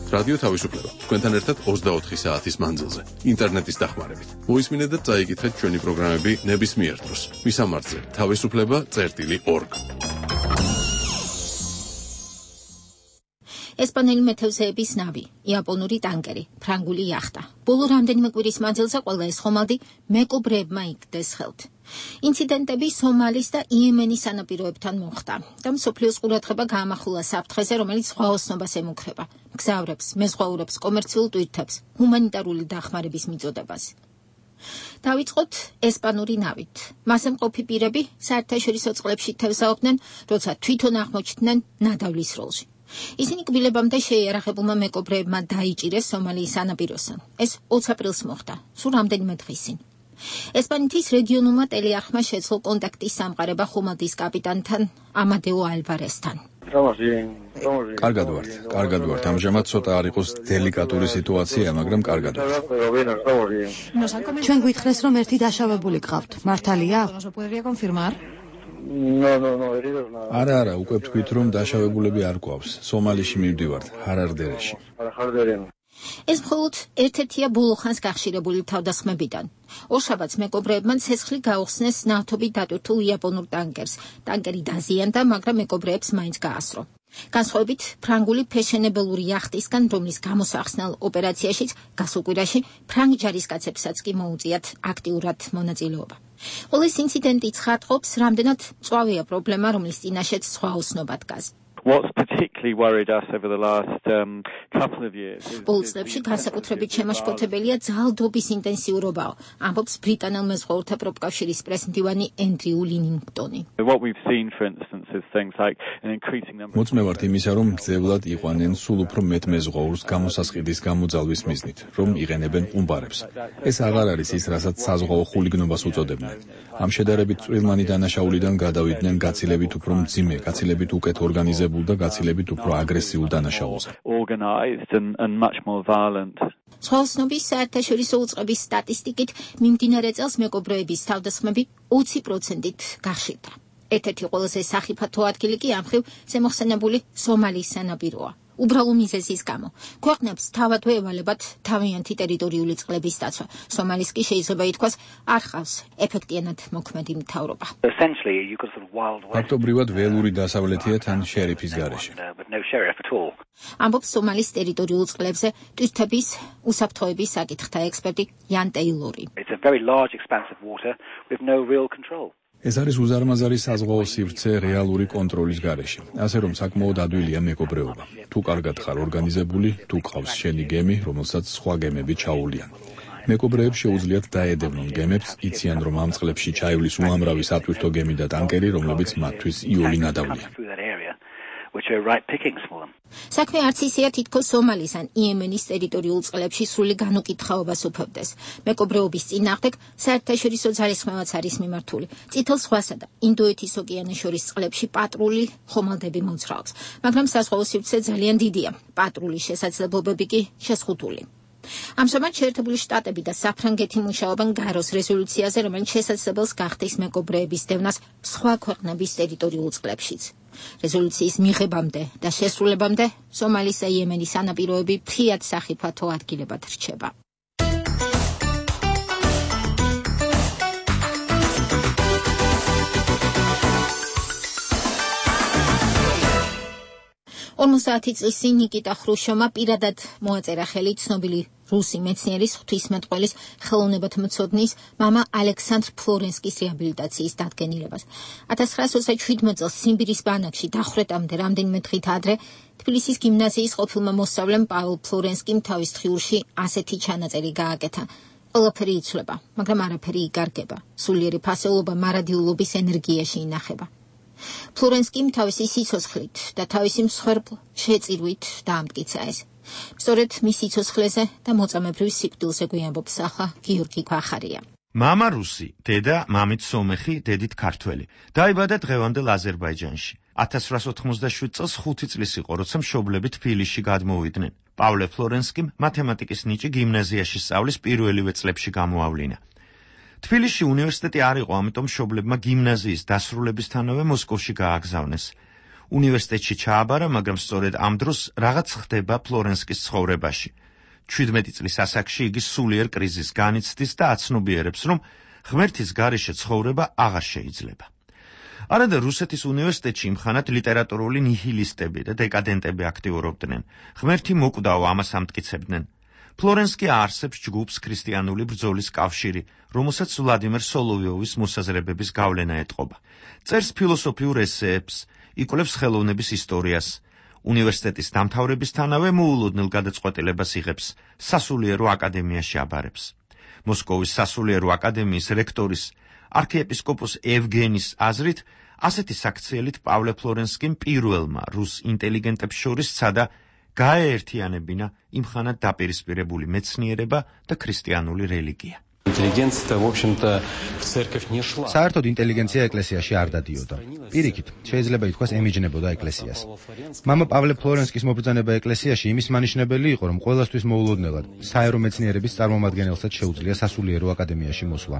B: რადიო თავისუფლება. თქვენთან ერთად 24 საათის მანძილზე, ინტერნეტის დახმარებით. მოისმინეთ და წაიკითხეთ ჩვენი პროგრამები ნებისმიერ დროს. მისამართზე თავისუფლება.org. ესპანელი მეთევზეების ნავი, იაპონური ტანკერი, ფრანგული იახტა. ბოლო რამდენიმე კვირის მანძილზე ყველა ეს ხომალდი მეკობრეებმა იგდეს ხელთ. ინციდენტები სომალის და იემენის სანაპიროებთან მოხდა და მსოფლიოს ყურადღება გაამახვილა საფრთხეზე, რომელიც ზღვაოსნობას ემუქრება, მგზავრებს, მეზღვაურებს, კომერციულ ტვირთებს, ჰუმანიტარული დახმარების მიწოდებას. დავიწყოთ ესპანური ნავით. მასზე მყოფი პირები საერთაშორისო წყლებში თევზაობდნენ, როცა თვითონ აღმოჩნდნენ ნადავლის როლში. ისინი კბილებამდე შეიარაღებულმა მეკობრეებმა დაიჭირეს სომალიის სანაპიროსთან. ეს 20 აპრილს მოხდა, სულ რამდენიმე დღის წინ. ესპანეთის რეგიონულმა ტელეარხმა შეძლო კონტაქტის სამყარება ხომალდის კაპიტანთან ამადეო ალვარესთან.
G: კარგად ვართ. ამჟამად ცოტა არ იყოს დელიკატური სიტუაცია, მაგრამ კარგად ვართ.
Q: ჩვენ გვითხრეს, რომ ერთი დაშავებული გყავთ. მართალია?
G: არა, უკვე თქვით, რომ დაშავებულები არ გვყავს. სომალიში მივდივართ, ჰარარდერეში.
A: ეს მხოლოდ ერთ-ერთია ბოლო ხანს გახშირებული თავდასხმებიდან. ორშაბათს მეკობრეებმა ცეცხლი გაუხსნეს ნავთობით დატვირთულ იაპონურ ტანკერს. ტანკერი დაზიანდა, მაგრამ მეკობრეებს მაინც გაასრო. განსხვავებით ფრანგული ფეშენებელური იახტისგან, რომლის გამოსახსნელ ოპერაციაშიც გასულ კვირაში ფრანგ ჯარისკაცებსაც კი მოუწიათ აქტიურად მონაწილეობა. ყოველ ეს ინციდენტი ცხადყოფს, რამდენად მწვავეა პრობლემა, რომლის წინაშეც ზღვაოსნობა დგას.
R: What's particularly worried us over the last couple of years is
A: ბოლო წლებში განსაკუთრებით შემაშფოთებელია ძალდობის ინტენსიურობაო, ამბობს ბრიტანელ მეზღვაურთა პროფკავშირის პრეზიდენტი ენდრიუ ლინინგტონი.
R: What we've seen, for instance, is things like an increasing number.
G: მოწმევართ იმისა, რომ ძევლად იყვანენ სულ უფრო მეტ მეზღვაურს გამოსასყიდის გამოძალვის მიზნით, რომ იყენებენ ყუმბარებს. ეს აღარ არის ის, რასაც საზღვაო ხულიგნობას უწოდებდნენ. ამ შედარებით წვრილმანი დანაშაულიდან გადავიდნენ გაცილებით უფრო მძიმე, გაცილებით უკეთ ორგანიზებულ და გაცილებით უფრო აგრესიულ დანაშაულზე.
A: ზღვაოსნობის საერთაშორისო უწყების სტატისტიკით მიმდინარე წელს მეკობრეების თავდასხმები 20%-ით გახშირდა. ერთ-ერთი ყველაზე სახიფათო ადგილი კი ამ მხრივ ზემოხსენებული სომალის სანაპიროა. უბრალო მიზეზის გამო ქვეყნებს თავადვე ევალებათ თავიანთი ტერიტორიული წყლების დაცვა. სომალის კი შეიძლება ითქვას არ ხავს ეფექტიანად მოქმედი მთავრობა.
G: ფაქტობრივად ველური დასავლეთია თან შერიფის გარეშე.
A: ამბობს სომალის ტერიტორიულ წყლებზე ტვირთების უსაფრთხოების საკითხთა ექსპერტი იან ტეილორი.
G: ეს არის უზარმაზარი საზღვაო სივრცე რეალური კონტროლის გარეშე. ასე რომ საკმაოდ ადვილია მეკობრეობა. თუ კარგად ხარ ორგანიზებული, თუ ყავს შენი გემი, რომელსაც სხვა გემები ჩაუვლიან. მეკობრეებს შეუძლიათ დაედევნონ გემებს, იციან რომ ამ წყლებში ჩაივლის უამრავი სატვირთო გემი და ტანკერი, რომლებიც მათთვის იოლი ნადავლია.
A: საქმე არც ისეა თითქოს სომალის ან იემენის ტერიტორიულ წყლებში სრული განუკითხაობას უფევდეს. მეკობრეობის წინააღმდეგ საერთაშორისო ძალისხმევაც არის მიმართული. წითელ ზღვასა და ინდოეთის ოკეანეს შორის წყლებში პატრული ხომალდები მოძრაობს, მაგრამ საზღვაო სივრცე ძალიან დიდია. პატრულის შესაძლებლობები კი შეზღუდული. ამჟამად შეერთებული შტატები და საფრანგეთი მუშაობენ გაროს რეზოლუციაზე, რომელიც შესაძლებელს გახდის მეკობრეების დევნას სხვა ქვეყნების ტერიტორიულ წყლებშიც. რეზოლუციის მიღებამდე და შესრულებამდე სომალის და იემენის სანაპიროები ფრიად სახიფათო ადგილებად რჩება. ორმოცდაათი წლის წინ ნიკიტა ხრუშჩოვმა პირადად მოაწერა ხელი ცნობილი რუსი მეცნიერის ღვთისმეტყველის ხელოვნებათმცოდნის მამა ალექსანდრ ფლორენსკის რეაბილიტაციის დადგენილებას. 1927 წელს სიმბირის ბანაკში დახვრეტამდე რამდენიმე დღით ადრე თბილისის გიმნაზიის ყოფილმა მოსწავლემ პაველ ფლორენსკიმ თავის დღიურში ასეთი ჩანაწერი გააკეთა. ყველაფერი იცვლება, მაგრამ არაფერი იგარგება. სულიერი ფასეულობა მარადიულობის ენერგიაში ინახება. ფლორენსკიმ თავისი სიცოცხლით და თავისი მსხვერპლ შეწირვით დაამტკიცა ეს. სწორედ მის სიცოცხლეზე და მოწამებრივ სიკვდილზე გვიამბობს ახლა გიორგი ქვახარია.
S: მამა რუსი, დედა მამით სომეხი, დედით ქართველი. დაიბადა დღევანდელ აზერბაიჯანში. 1897 წელს 5 წლის იყო, როცა მშობლები თბილისში გადმოვიდნენ. პავლე ფლორენსკიმ მათემატიკის ნიჭი გიმნაზიაში სწავლის პირველივე წლებში გამოავლინა. თბილისში უნივერსიტეტი არ იყო, ამიტომ მშობლებმა გიმნაზიის დასრულებისთანავე მოსკოვში გააგზავნეს. უნივერსიტეტში ჩააბარა, მაგრამ სწორედ ამ დროს რაღაც ხდება ფლორენსკის ცხოვრებაში. 17 წლის ასაკში იგი სულიერ კრიზისს განიცდის და აცნობიერებს, რომ ღმერთის გარეშე ცხოვრება აღარ შეიძლება. არადა რუსეთის უნივერსიტეტში იმხანად ლიტერატურული ნიჰილისტები და დეკადენტები აქტიურობდნენ. ღმერთი მოკვდაო, ამას ამტკიცებდნენ. ფლორენსკი აარსებს ჯგუფს ქრისტიანული ბრძოლის კავშირი, რომელსაც ვლადიმერ სოლოვიოვის მოსაზრებების გავლენა ეტყობა. წერს ფილოსოფიურ ესეებს, იკვლევს ხელოვნების ისტორიას. უნივერსიტეტის დამთავრებისთანავე მოულოდნელ გადაწყვეტილებას იღებს, სასულიერო აკადემიაში აბარებს. მოსკოვის სასულიერო აკადემიის რექტორის არქიეპისკოპოს ევგენის აზრით, ასეთი საქციელით პავლე ფლორენსკიმ პირველმა რუს ინტელიგენტებს შორის სცადა გაეერთიანებინა იმხანად დაპირისპირებული მეცნიერება და ქრისტიანული რელიგია.
D: საერთოდ ინტელიგენცია ეკლესიაში არ დადიოდა. პირიქით, შეიძლება ითქვას ემიჯნებოდა ეკლესიას. მამა პავლე ფლორენსკის მობრძანება ეკლესიაში იმის მანიშნებელი იყო, რომ ყოველასთვის მოულოდნელად საერო მეცნიერების წარმომადგენელსაც შეუძლია სასულიერო აკადემიაში მოსვლა.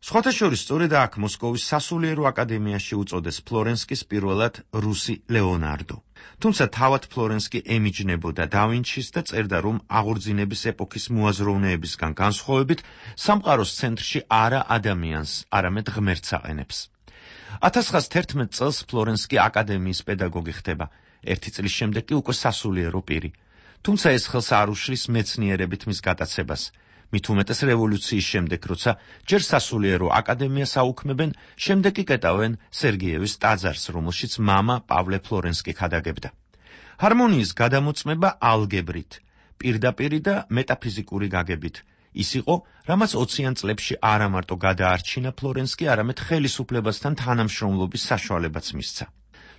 S: სხვათა შორის სწორედ აქ მოსკოვის სასულიერო აკადემიაში უწოდეს ფლორენსკის პირველად რუსი ლეონარდო. თუმცა თავად ფლორენსკი ემიჯნებოდა დავინჩის და წერდა, რომ აღორძინების ეპოქის მოაზროვნეებისგან განსხვავებით სამყაროს ცენტრში არა ადამიანს, არამედ ღმერთს აყენებს. 1911 წელს ფლორენსკი აკადემიის პედაგოგი ხდება. 1 წლის შემდეგ კი უკვე სასულიერო პირი. თუმცა ეს ხელს არ უშლის მეცნიერებით მის გატაცებას. მით უმეტეს რევოლუციის შემდეგ, როცა ჯერ სასულიერო აკადემიას აუქმებენ, შემდეგ კი კეტავენ სერგეევის ტაძარს, რომელშიც მამა პავლე ფლორენსკი ხადაგებდა. ჰარმონიის გადამოწმება ალგებრით, პირდაპირი და მეტაფიზიკური გაგებით. ის იყო, რამაც 20-იან წლებში არა მარტო გადაარჩინა ფლორენსკი, არამედ ხელისუფლებასთან თანამშრომლობის საშუალებაც მისცა.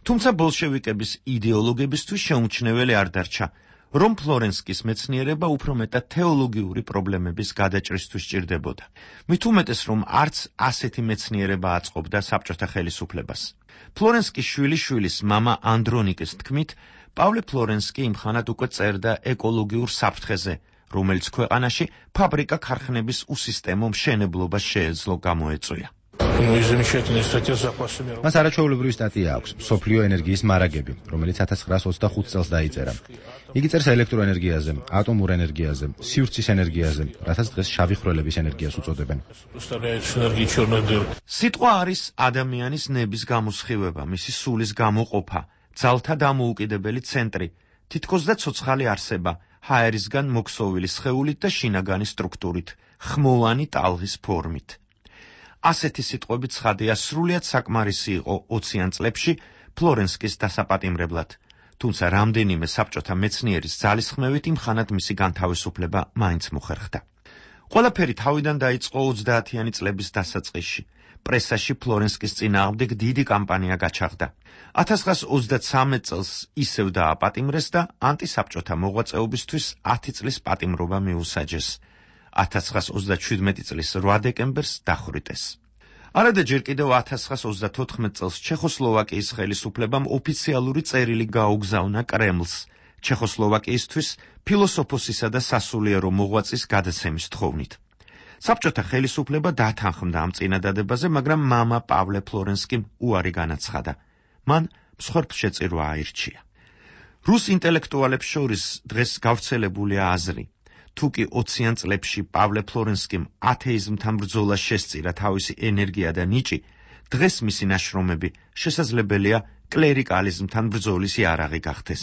S: თუმცა ბოლშევიკების იდეოლოგებისთვის შეუმჩნეველი არ დარჩა, რომ ფლორენსკის მეცნიერება უფრო მეტად თეოლოგიური პრობლემების გადაჭრისთვის სჭირდებოდა. მით უმეტეს, რომ არც ასეთი მეცნიერება აწყობდა საბჭოთა ხელისუფლებას. ფლორენსკის შვილიშვილის მამა ანდრონიკის თქმით, პავლე ფლორენსკი იმხანად უკვე წერდა ეკოლოგიურ საფრთხეზე, რომელიც ქვეყანაში ფაბრიკა-ქარხნების უსისტემო მშენებლობას შეეძლო გამოეწვია.
D: მას არაჩვეულებრივი სტატია აქვს, მსოფლიო ენერგიის მარაგები, რომელიც 1925 წელს დაიწერა. იგი წერს ელექტროენერგიაზე, ატომურ ენერგიაზე, სივრცის ენერგიაზე, რასაც დღეს შავი ხვრელების ენერგიას უწოდებენ.
S: სიტყვა არის ადამიანის ნების გამოსხივება, მისი სულის გამოყოფა, ძალთა დამოუკიდებელი ცენტრი, თითქოს და ცოცხალი არსება, ჰაერისგან მოქსოვილი სხეულით და შინაგანი სტრუქტურით, ხმოვანი ტალღის ფორმით. ასეთი სიტყვები ცხადია სრულიად საკმარისი იყო 20-იან წლებში ფლორენსკის დასაპატიმრებლად, თუმცა რამდენიმე საბჭოთა მეცნიერის ძალისხმევით იმხანად მისი განთავისუფლება მაინც მოხერხდა. ყველაფერი თავიდან დაიწყო 30-იანი წლების დასაწყისში. პრესაში ფლორენსკის წინააღმდეგ დიდი კამპანია გაჩაღდა. 1933 წელს ისევ დააპატიმრეს და ანტისაბჭოთა მოღვაწეობისთვის 10 წლის პატიმრობა მიუსაჯეს. 1937 წლის 8 დეკემბერს დახვრიტეს. არადა ჯერ კიდევ 1934 წელს ჩეხოსლოვაკიის ხელისუფლებამ ოფიციალური წერილი გაუგზავნა კრემლს, ჩეხოსლოვაკიისთვის ფილოსოფოსისა და სასულიერო მოღვაწის გადაცემის თხოვნით. საბჭოთა ხელისუფლება დათანხმდა ამ წინადადებაზე, მაგრამ მამა პავლე ფლორენსკიმ უარი განაცხადა. მან მსხვერპლშეწირვა აირჩია. რუს ინტელექტუალებს შორის დღეს გავრცელებულია აზრი, თუკი 20-იან წლებში პავლე ფლორენსკიმ ათეიზმთან ბრძოლას შესწირა თავისი ენერგია და ნიჭი, დღეს მისი ნაშრომები შესაძლებელია კლერიკალიზმთან ბრძოლის იარაღი გახდეს,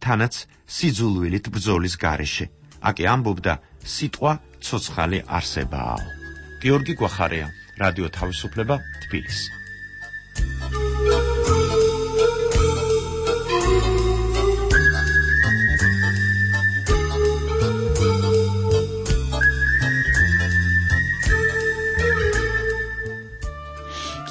S: თანაც სიძულვილით ბრძოლის გარეშე. აკი ამბობდა, სიტყვა ცოცხალი არსებაა. გიორგი გვახარია, რადიო თავისუფლება, თბილისი.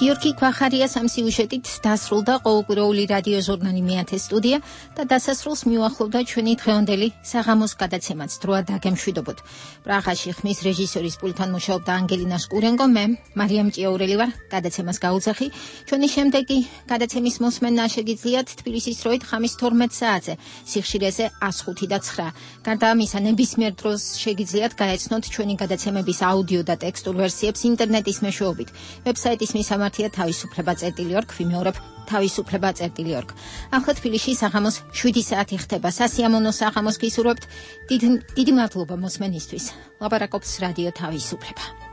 A: გიორგი მეთქი ქვახარიას ამ სიუჟეტით დასრულდა ყოველკვირეული რადიო ჟურნალი მეათე სტუდია და დასასრულს მიუახლოვდა ჩვენი დღევანდელი საღამოს გადაცემაც დროა დაგემშვიდობოთ. პრაღაში ხმის რეჟისორის პულტთან მუშაობდა ანგელინა შკურენკო, მე მარიამ ჭიაურელი ვარ, გადაცემას გაუძახი. ჩვენი შემდეგი გადაცემის მოსმენა შეგიძლიათ თბილისის დროით ხამის 12 საათზე, სიხშირეზე 105 და 9. გარდა ამისა, ნებისმიერ დროს შეგიძლიათ გაეცნოთ ჩვენი გადაცემების აუდიო და ტექსტურ ვერსიებს ინტერნეტის მეშვეობით. ვებსაიტის მისამართია თავისუფლება.org, ვიმეორებ თავისუფლება.org. ახლა თბილისში საღამოს 7 საათი ხდება. სასიამოვნო საღამოს გისურვებთ. დიდი მადლობა მოსმენისთვის. ლაპარაკობს რადიო თავისუფლება.